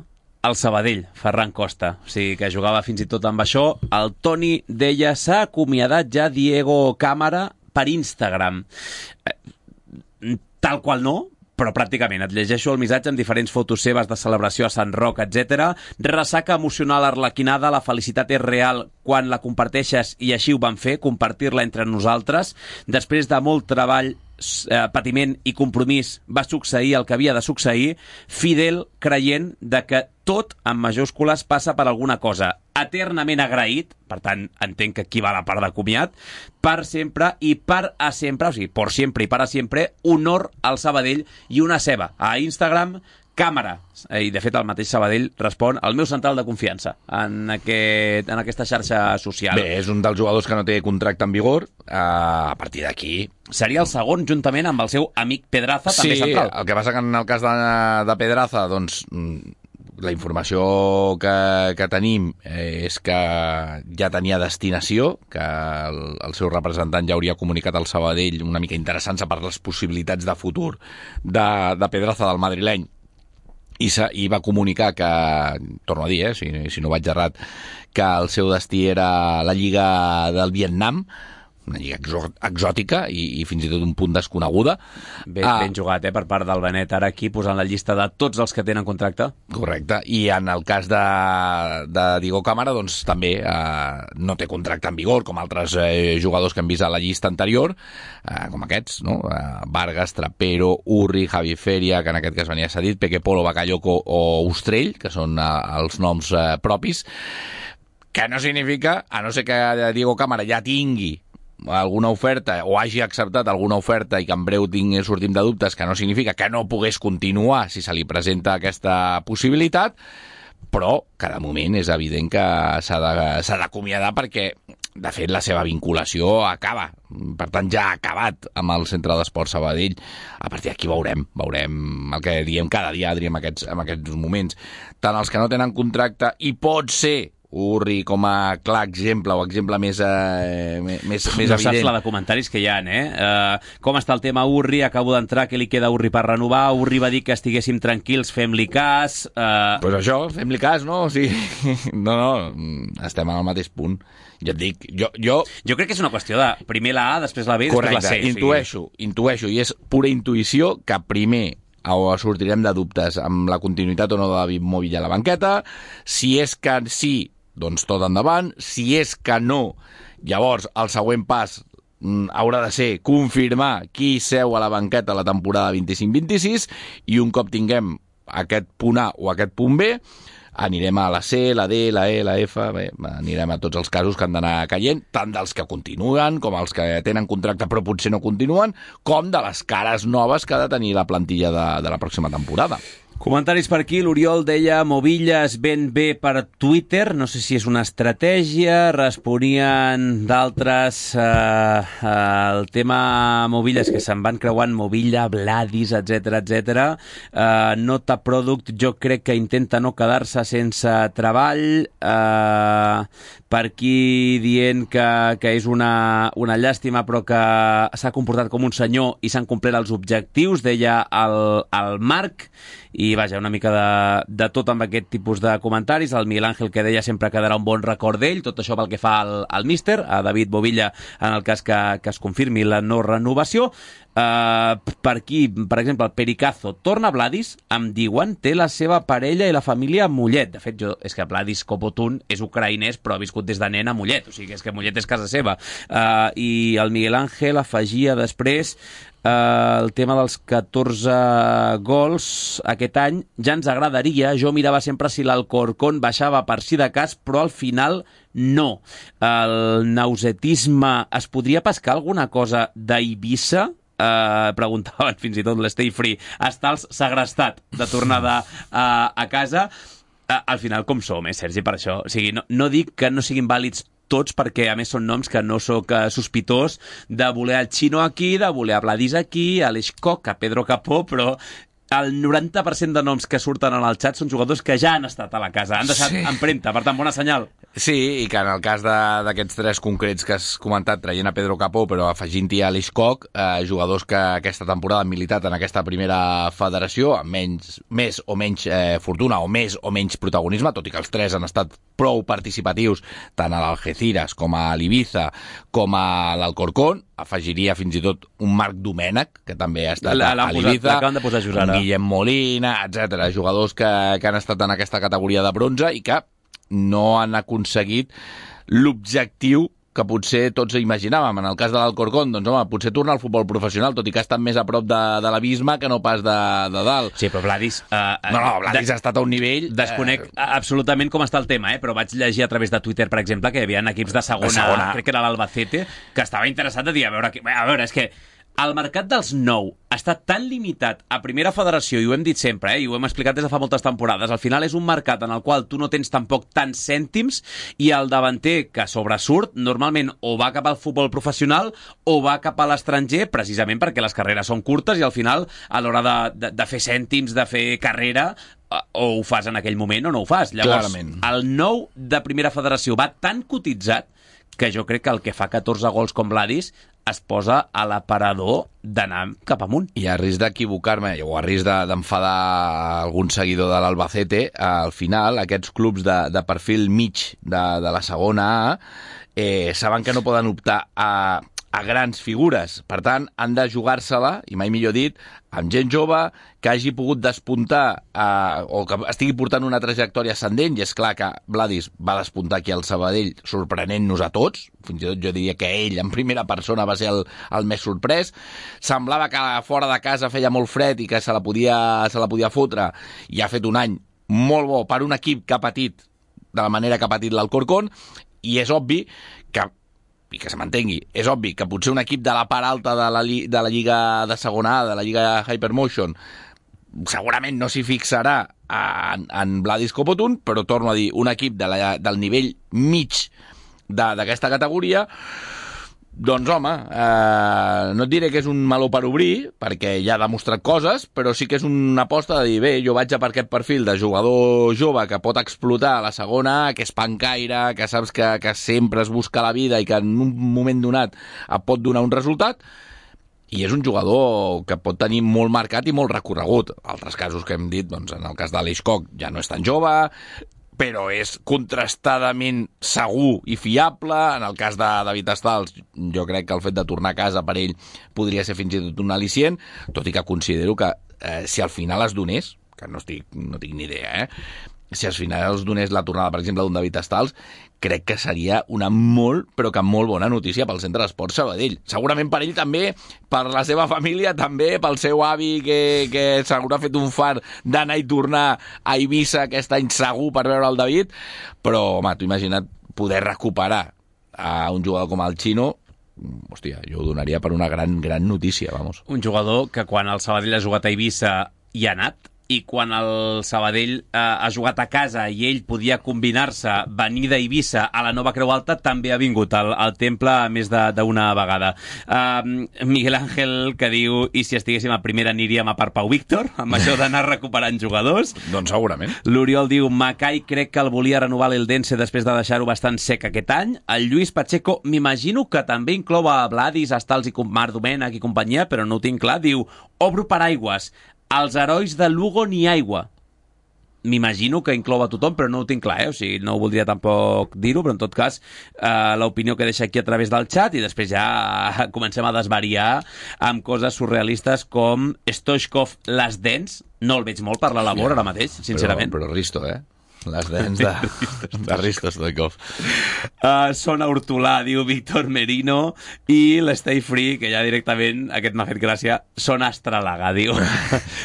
al Sabadell, Ferran Costa. O sigui, que jugava fins i tot amb això. El Toni deia, s'ha acomiadat ja Diego Cámara per Instagram. Tal qual no, però pràcticament. Et llegeixo el missatge amb diferents fotos seves de celebració a Sant Roc, etc. Ressaca emocional arlequinada, la felicitat és real quan la comparteixes i així ho vam fer, compartir-la entre nosaltres. Després de molt treball, patiment i compromís va succeir el que havia de succeir, fidel creient de que tot, en majúscules, passa per alguna cosa. Eternament agraït, per tant, entenc que aquí va la part de comiat, per sempre i per a sempre, o sigui, por siempre i para siempre, honor al Sabadell i una ceba. A Instagram, Càmara. I, de fet, el mateix Sabadell respon el meu central de confiança en aquesta xarxa social. Bé, és un dels jugadors que no té contracte en vigor. A partir d'aquí... Seria el segon, juntament amb el seu amic Pedraza, també central. Sí, el que passa que en el cas de Pedraza, doncs, la informació que tenim és que ja tenia destinació, que el seu representant ja hauria comunicat al Sabadell una mica interessant-se per les possibilitats de futur de Pedraza, del madrileny, i va comunicar que, torno a dir, si no vaig errat, que el seu destí era la Lliga del Vietnam, una lliga exòtica i fins i tot un punt desconeguda. Ben jugat, per part del Benet, ara aquí posant la llista de tots els que tenen contracte. Correcte, i en el cas de Diego Cámara, doncs també no té contracte en vigor, com altres jugadors que hem vist a la llista anterior, com aquests, no? Vargas, Trapero, Urri, Javi Feria, que en aquest cas venia cedit, Peque Polo, Bakayoko o Ostrell, que són els noms propis, que no significa, a no ser que Diego Cámara ja tingui alguna oferta o hagi acceptat alguna oferta i que en breu sortim de dubtes, que no significa que no pogués continuar si se li presenta aquesta possibilitat, però que de moment és evident que s'ha d'acomiadar perquè, de fet, la seva vinculació acaba. Per tant, ja ha acabat amb el Centre d'Esport Sabadell. A partir d'aquí veurem el que diem cada dia, Adri, en aquests moments. Tant els que no tenen contracte i pot ser Urri com a clar exemple o exemple més no evident. Saps la de comentaris que hi ha, com està el tema Urri? Acabo d'entrar, què li queda a Urri per renovar? Urri va dir que estiguéssim tranquils, fem-li cas. Pues això, fem-li cas, no? O sigui, no, estem en el mateix punt. Jo et dic, jo crec que és una qüestió de primer la A, després la B i després la C. Intueixo, i és pura intuïció que primer sortirem de dubtes amb la continuïtat o no de David Movilla a la banqueta. Si és que sí, doncs tot endavant. Si és que no, llavors el següent pas haurà de ser confirmar qui seu a la banqueta la temporada 25-26 i un cop tinguem aquest punt A o aquest punt B, anirem a la C, la D, la E, la F, bé, anirem a tots els casos que han d'anar caient, tant dels que continuen com els que tenen contracte però potser no continuen, com de les cares noves que ha de tenir la plantilla de la pròxima temporada. Comentaris per aquí, l'Oriol deia Movillas ben bé per Twitter, no sé si és una estratègia, responien d'altres el tema Movillas, que se'n van creuant Movilla, Vladis, etc. Nota Product, jo crec que intenta no quedar-se sense treball, per aquí dient que és una llàstima però que s'ha comportat com un senyor i s'han complert els objectius, deia el Marc. I vaja, una mica de tot amb aquest tipus de comentaris. El Miguel Ángel, que deia sempre quedarà un bon record d'ell, tot això pel que fa al míster, a David Movilla, en el cas que es confirmi la no renovació. Per aquí, per exemple, el Pericazo torna a Vladis, em diuen, té la seva parella i la família a Mollet. De fet, és que Vladis Kopotun és ucraïnès però ha viscut des de nen a Mollet, o sigui, és que Mollet és casa seva. I el Miguel Ángel afegia després el tema dels 14 gols aquest any. Ja ens agradaria, jo mirava sempre si l'Alcorcón baixava per si de cas, però al final no. El nausetisme, es podria pescar alguna cosa d'Eivissa? Preguntaven fins i tot l'Stay Free. Està el segrestat de tornada a casa. Al final com som, Sergi, per això. O sigui, no dic que no siguin vàlids tots, perquè a més són noms que no sóc sospitós de voler el Chino aquí, de voler a Vladis aquí, a l'Eixcock, a Pedro Capó, però el 90% de noms que surten en el xat són jugadors que ja han estat a la casa, han deixat empremta, per tant, bona senyal. Sí, i que en el cas d'aquests 3 concrets que has comentat, traient a Pedro Capó, però afegint-hi a l'Eixcock, jugadors que aquesta temporada han militat en aquesta primera federació, amb més o menys fortuna o més o menys protagonisme, tot i que els 3 han estat prou participatius tant a l'Algeciras com a l'Ibiza com a l'Alcorcón. Afegiria fins i tot un Marc Domènech, que també ha estat a l'Ibiza, l'acaben de posar just ara. Guillem Molina, etc. Jugadors que han estat en aquesta categoria de bronze i que no han aconseguit l'objectiu que potser tots imaginàvem. En el cas de l'Alcorcón, doncs, home, potser tornar al futbol professional, tot i que ha estat més a prop de l'abisme que no pas de dalt. Sí, però Vladis... Vladis ha estat a un nivell... Desconec absolutament com està el tema, però vaig llegir a través de Twitter, per exemple, que hi havia equips de segona, crec que era l'Albacete, que estava interessat de dir, a veure, és que el mercat dels nou està tan limitat a primera federació, i ho hem dit sempre, i ho hem explicat des de fa moltes temporades, al final és un mercat en el qual tu no tens tampoc tants cèntims, i el davanter que sobresurt normalment o va cap al futbol professional o va cap a l'estranger, precisament perquè les carreres són curtes i al final, a l'hora de fer cèntims, de fer carrera, o ho fas en aquell moment o no ho fas. Llavors, clarament, el nou de primera federació va tan cotitzat que jo crec que el que fa 14 gols com Vladis es posa a l'aparador d'anar cap amunt. I a risc d'equivocar-me, o a risc d'enfadar algun seguidor de l'Albacete, al final aquests clubs de perfil mig de la segona A saben que no poden optar a grans figures. Per tant, han de jugar-se-la, i mai millor dit, amb gent jove que hagi pogut despuntar o que estigui portant una trajectòria ascendent, i és clar que Vladis va despuntar aquí al Sabadell sorprenent-nos a tots, fins i tot jo diria que ell en primera persona va ser el més sorprès. Semblava que fora de casa feia molt fred i que se la podia fotre, i ha fet un any molt bo per un equip que ha patit de la manera que ha patit l'Alcorcón, i és obvi que se m'entengui, és obvi que potser un equip de la part alta de la Lliga de segona A, de la Lliga Hypermotion, segurament no s'hi fixarà en Vladis Copotun, però torno a dir, un equip del nivell mig d'aquesta categoria, doncs home, no et diré que és un meló per obrir, perquè ja ha demostrat coses, però sí que és una aposta de dir, bé, jo vaig a per aquest perfil de jugador jove que pot explotar a la segona, que és pancaire, que saps que sempre es busca la vida i que en un moment donat et pot donar un resultat, i és un jugador que pot tenir molt marcat i molt recorregut. Altres casos que hem dit, doncs en el cas de l'Eixcock ja no és tan jove, però és contrastadament segur i fiable. En el cas de David Estals, jo crec que el fet de tornar a casa per ell podria ser fins i tot un al·licient, tot i que considero que si al final es donés, que no tinc ni idea, si al final es donés la tornada, per exemple, d'un David Estals, crec que seria una molt, però que molt bona notícia pel Centre d'Esports Sabadell. Segurament per ell també, per la seva família, també pel seu avi, que segur ha fet un far d'anar i tornar a Eivissa aquest any segur per veure el David, però, home, t'ho imagina't poder recuperar a un jugador com el Chino. Hòstia, jo ho donaria per una gran notícia, vamos. Un jugador que quan el Sabadell ha jugat a Eivissa hi ha anat, i quan el Sabadell ha jugat a casa i ell podia combinar-se, venir d'Eivissa a la Nova Creu Alta, també ha vingut al temple més d'una vegada. Miguel Ángel, que diu, i si estiguéssim a primera aniríem a per Pau Víctor, amb això d'anar recuperant jugadors? Doncs segurament. L'Oriol diu, Macai crec que el volia renovar l'Eldense després de deixar-ho bastant sec aquest any. El Lluís Pacheco, m'imagino que també inclou a Vladis, Estals i Marc Domènech i companyia, però no ho tinc clar. Diu, obro paraigües, als herois de Lugo ni aigua. M'imagino que inclou a tothom, però no ho tinc clar, o sigui, no ho voldria tampoc dir-ho, però en tot cas l'opinió que deixa aquí a través del xat, i després ja comencem a desvariar amb coses surrealistes com Stoichkov les dents. No el veig molt per la labor ara mateix, sincerament. Però Risto, les dents de Risto Stoichkov. Sona Hortolà, diu Víctor Merino, i l'Stay Free, que ja directament, aquest m'ha fet gràcia, Sona Astralaga, diu.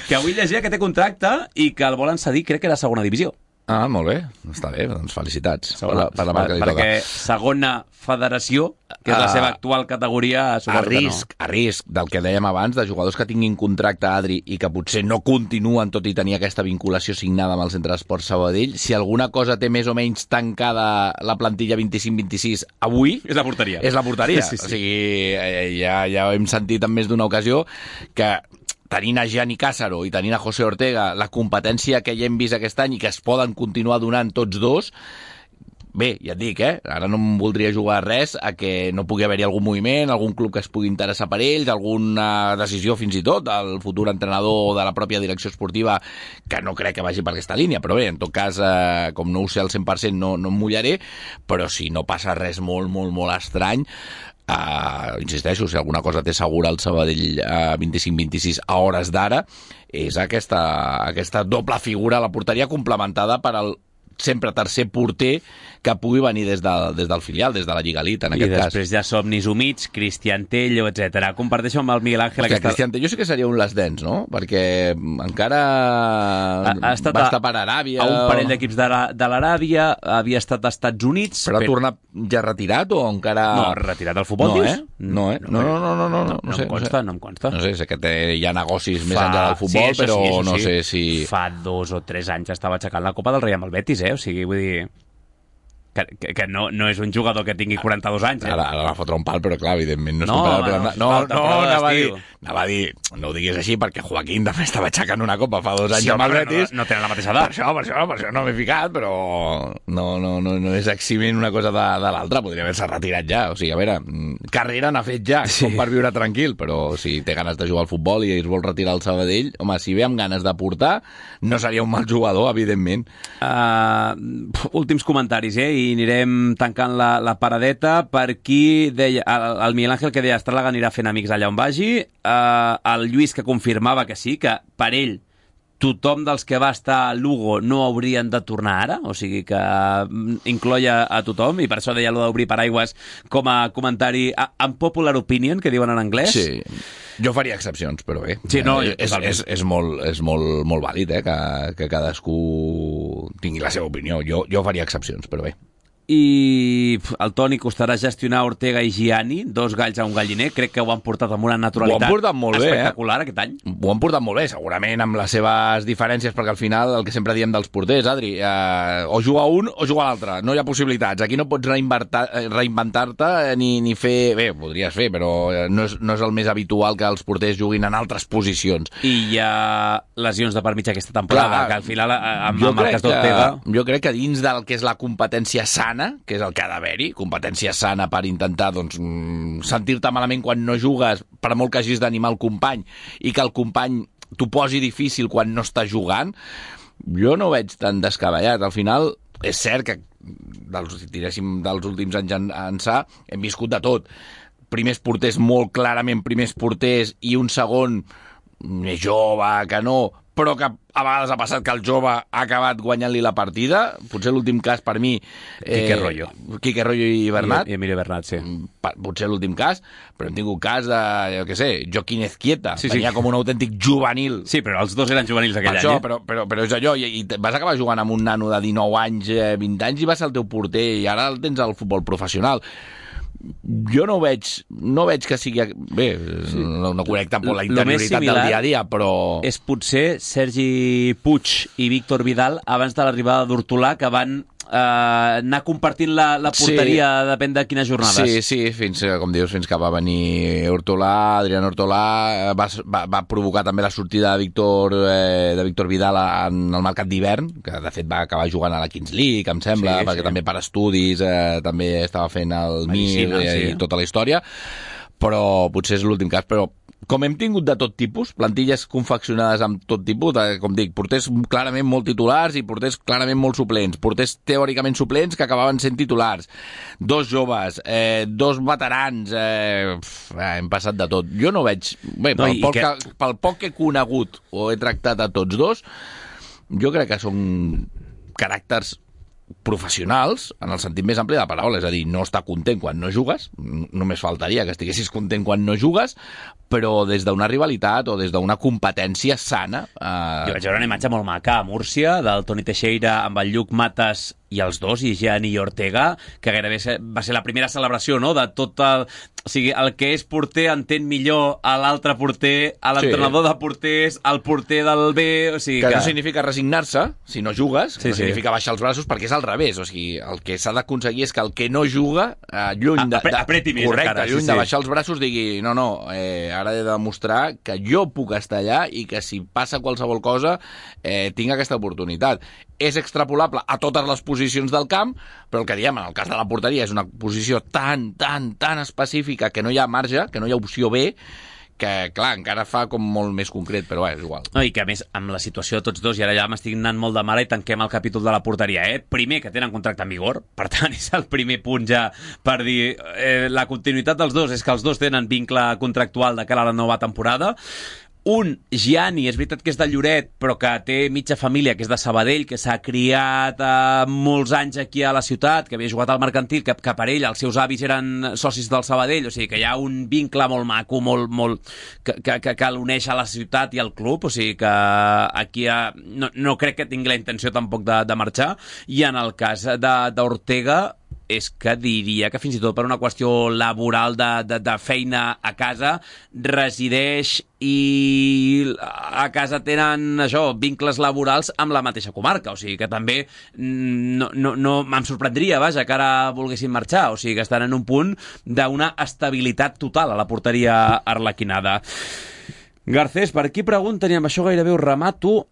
Que avui llegia que té contracte i que el volen cedir, crec que era segona divisió. Ah, molt bé, està bé, doncs felicitats per la marca que li toca. Perquè segona federació, que és la seva actual categoria, a risc del que dèiem abans, de jugadors que tinguin contracte, Adri, i que potser no continuen tot i tenir aquesta vinculació signada amb el Centre d'Esports Sabadell, si alguna cosa té més o menys tancada la plantilla 25-26 avui... És la porteria. És la porteria. Sí. O sigui, ja hem sentit en més d'una ocasió que tenint a Gianni Cássaro i tenint a José Ortega la competència que ja hem vist aquest any i que es poden continuar donant tots dos, bé, ja et dic, ara no em voldria jugar res a que no pugui haver-hi algun moviment, algun club que es pugui interessar per ells, alguna decisió fins i tot del futur entrenador de la pròpia direcció esportiva, que no crec que vagi per aquesta línia, però bé, en tot cas, com no ho sé al 100%, no em mullaré, però si no passa res molt, molt, molt estrany, insisteixo, si alguna cosa té segura el Sabadell 25-26 a hores d'ara, és aquesta doble figura a la porteria complementada per al sempre tercer porter que pugui venir des del filial, des de la Lliga Elite, en aquest cas. I després ja somnis humits, Cristian Tello, etc. Comparteixo amb el Miguel Ángel... Cristian Tello sí que seria un les dents, no? Perquè encara va estar per Aràbia... A un parell d'equips de l'Aràbia, havia estat als Estats Units... Però ha tornat ja retirat o encara... No, retirat del futbol, dius? No No em consta. No sé que hi ha negocis més enllà del futbol, però no sé si... Fa 2 o 3 anys estava aixecant la Copa del Rei amb el Betis, o sigui, vull dir... Que no és un jugador que tingui 42 anys. Ara va fotre un pal, però clar, evidentment no és comparable. Anava a dir, no ho diguis així, perquè Joaquín també estava aixecant una copa fa 2 anys amb el Betis. No tenen la mateixa edat. Per això no m'he ficat, però no és eximent una cosa de l'altra, podria haver-se retirat ja. O sigui, a veure, carrera n'ha fet ja, com per viure tranquil, però si té ganes de jugar al futbol i es vol retirar al Sabadell, home, si ve amb ganes de portar, no seria un mal jugador, evidentment. Últims comentaris, i anirem tancant la paradeta. Per aquí deia el Miguel Ángel, que deia Estràlaga anirà fent amics allà on vagi, el Lluís, que confirmava que sí, que per ell tothom dels que va estar a Lugo no haurien de tornar ara, o sigui que incloia a tothom, i per això deia allò d'obrir paraigües com a comentari unpopular opinion, que diuen en anglès. Sí, jo faria excepcions, però bé, sí, no, és molt vàlid que cadascú tingui la seva opinió. Jo faria excepcions, però bé. I el Toni costarà gestionar Ortega i Gianni, 2 galls a un galliner. Crec que ho han portat amb una naturalitat espectacular aquest any. Ho han portat molt bé, segurament amb les seves diferències, perquè al final el que sempre diem dels porters, Adri, o juga un o juga l'altre, no hi ha possibilitats. Aquí no pots reinventar-te ni fer... Bé, podries fer, però no és el més habitual que els porters juguin en altres posicions. I hi ha lesions de per mig aquesta temporada, que al final amb el cas d'Ortega... Jo crec que dins del que és la competència sana, que és el que ha d'haver-hi, competència sana per intentar sentir-te malament quan no jugues, per molt que hagis d'animar el company, i que el company t'ho posi difícil quan no està jugant, jo no ho veig tan descabellat. Al final, és cert que dels últims anys ençà hem viscut de tot. Primers porters molt clarament primers porters i un segon més jove, que no, però que a vegades ha passat que el jove ha acabat guanyant-li la partida. Potser l'últim cas per mi... Quique Rollo i Bernat. I Emilio Bernat, sí. Potser l'últim cas, però hem tingut cas de, jo què sé, Joaquín Ezquieta. Venia com un autèntic juvenil. Sí, però els dos eren juvenils aquell any. Però és allò, i vas acabar jugant amb un nano de 19 anys, 20 anys, i va ser el teu porter, i ara el tens al futbol professional. Jo no veig que sigui... Bé, no conec tampoc la interioritat del dia a dia, però... És potser Sergi Puig i Víctor Vidal abans de l'arribada d'Hortolà, que van anar compartint la porteria, depèn de quines jornades. Sí, fins que va venir Adrián Hortolà, va provocar també la sortida de Víctor Vidal en el mercat d'hivern, que de fet va acabar jugant a la Kings League, em sembla, perquè també per estudis també estava fent el MIR i tota la història, però potser és l'últim cas. Però com hem tingut de tot tipus, plantilles confeccionades amb tot tipus, com dic, porters clarament molt titulars i porters clarament molt suplents, porters teòricament suplents que acabaven sent titulars, 2 joves, 2 veterans, hem passat de tot. Jo no veig... Bé, pel poc que he conegut o he tractat a tots dos, jo crec que són caràcters professionals, en el sentit més ampli de la paraula, és a dir, no estar content quan no jugues, només faltaria que estiguessis content quan no jugues, però des d'una rivalitat o des d'una competència sana. Jo vaig veure una imatge molt maca a Múrcia, del Toni Teixeira amb el Lluc Matas i els dos, i Gianni i Ortega, que gairebé va ser la primera celebració, no?, de tot el... O sigui, el que és porter entén millor a l'altre porter, a l'entrenador de porters, al porter del B, o sigui que... no significa resignar-se, si no jugues, no significa baixar els braços, perquè és al revés, o sigui, el que s'ha d'aconseguir és que el que no juga, lluny de... apreti més, correcte, encara, lluny de baixar els braços, digui, no, ara he de demostrar que jo puc estar allà i que si passa qualsevol cosa tinc aquesta oportunitat. És extrapolable a totes les posicions del camp, però el que diem, en el cas de la porteria, és una posició tan específica que no hi ha marge, que no hi ha opció B, que, clar, encara fa com molt més concret, però és igual. No, i que, a més, amb la situació de tots dos, i ara ja m'estic anant molt de mare i tanquem el capítol de la porteria, Primer, que tenen contracte en vigor, per tant, és el primer punt ja per dir la continuïtat dels dos, és que els dos tenen vincle contractual de cara a la nova temporada. Un, Gianni, és veritat que és de Lloret, però que té mitja família, que és de Sabadell, que s'ha criat molts anys aquí a la ciutat, que havia jugat al Mercantil, que per ell els seus avis eren socis del Sabadell, o sigui que hi ha un vincle molt maco, molt que l'uneix a la ciutat i al club, o sigui que aquí no crec que tingui la intenció tampoc de marxar, i en el cas d'Ortega és que diria que fins i tot per una qüestió laboral de feina a casa resideix i a casa tenen vincles laborals amb la mateixa comarca, o sigui que també no me'n sorprendria, vaja, que ara volguessin marxar, o sigui que estan en un punt d'una estabilitat total a la porteria arlequinada. Garcés, per aquí pregunten, i amb això gairebé ho remato,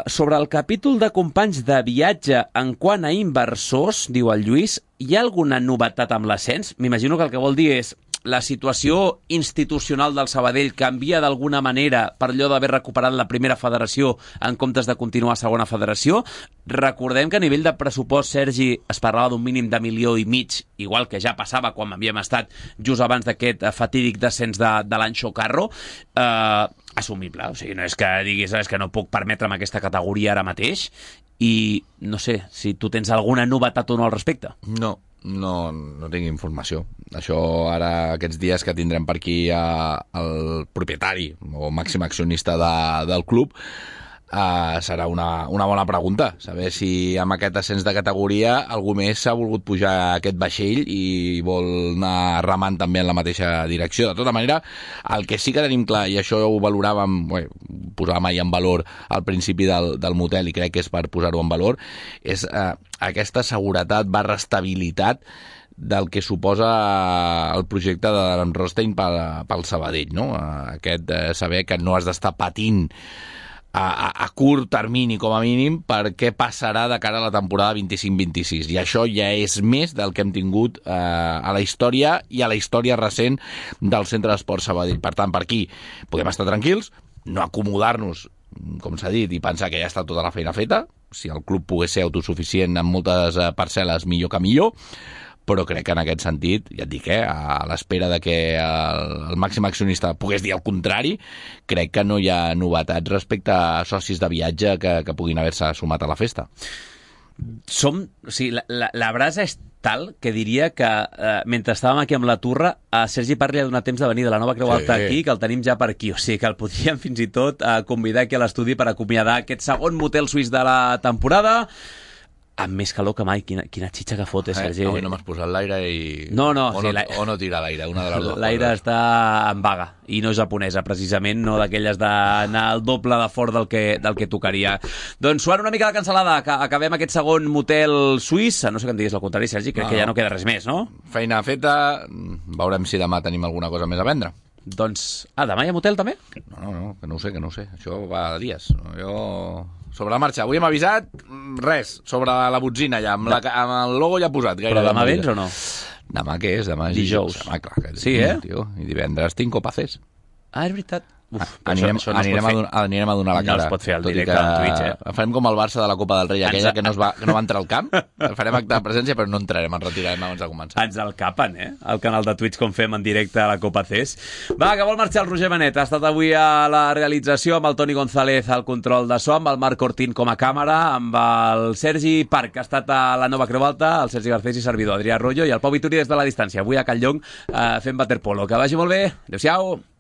sobre el capítol de companys de viatge en quant a inversors, diu el Lluís, hi ha alguna novetat amb l'ascens? M'imagino que el que vol dir és la situació institucional del Sabadell canvia d'alguna manera per allò d'haver recuperat la primera federació en comptes de continuar a segona federació. Recordem que a nivell de pressupost, Sergi, es parlava d'un mínim de 1,5 milions, igual que ja passava quan havíem estat just abans d'aquest fatídic descens de l'any Xocarro. Assumible, o sigui, no és que diguis és que no puc permetre'm aquesta categoria ara mateix, i no sé si tu tens alguna novetat o no al respecte. No tinc informació. Això ara, aquests dies que tindrem per aquí el propietari o màxim accionista del club, serà una bona pregunta, saber si amb aquest ascens de categoria algú més s'ha volgut pujar a aquest vaixell i vol anar remant també en la mateixa direcció. De tota manera, el que sí que tenim clar, i això ho valoràvem, posàvem ahir en valor al principi del motel, i crec que és per posar-ho en valor, és aquesta seguretat / estabilitat del que suposa el projecte de Rostein pel Sabadell, no? Aquest saber que no has d'estar patint a curt termini, com a mínim, per què passarà de cara a la temporada 25-26. I això ja és més del que hem tingut a la història i a la història recent del Centre d'Esport Sabadell. Per tant, per aquí podem estar tranquils, no acomodar-nos, com s'ha dit, i pensar que ja està tota la feina feta. Si el club pogués ser autosuficient en moltes parcel·les, millor que millor, però crec que en aquest sentit, ja et dic, a l'espera de que el màxim accionista pogués dir el contrari, crec que no hi ha novetats respecte a socis de viatge que puguin haver-se sumat a la festa. La brasa és tal que diria que mentre estàvem aquí amb la Turra, a Sergi Parli ha donat temps de venir de la Nova Creu Alta aquí, que el tenim ja per aquí, o sigui que el podríem fins i tot convidar aquí a l'estudi per acomiadar aquest segon motel suís de la temporada, amb més calor que mai. Quina xitxa que fot, Sergi. Avui no m'has posat l'aire i... No, o no tira l'aire, una de les dues. L'aire està en vaga, i no japonesa, precisament, no d'aquelles d'anar al doble de fort del que tocaria. Doncs suant una mica la cansalada, que acabem aquest segon motel suís, no sé que em diguis el contrari, Sergi, crec que ja no queda res més, no? Feina feta, veurem si demà tenim alguna cosa més a vendre. Doncs, demà hi ha motel també? No, que no ho sé, això va de dies. Jo... Sobre la marxa. Avui hem avisat res, sobre la botzina ja, amb el logo ja posat. Però demà vens o no? Demà què és? Demà és dijous. Demà, clar, sí, tio. I divendres tinc Copa CES. És veritat. Anirem a donar la cara. No es pot fer al directe en Twitch, Farem com el Barça de la Copa del Rei, aquella que no va entrar al camp. Farem acte de presència, però no entrarem, ens retirarem abans de començar. Ens el capen, al canal de Twitch, com fem en directe a la Copa CES. Va, que vol marxar el Roger Benet. Ha estat avui a la realització amb el Toni González al control de so, amb el Marc Cortín com a càmera, amb el Sergi Parc, que ha estat a la Nova Creu Alta, el Sergi Garcés i servidor Adrià Royo, i el Pau Vituri des de la distància, avui a Calllong fent waterpolo. Que vagi molt bé. Adéu-siau.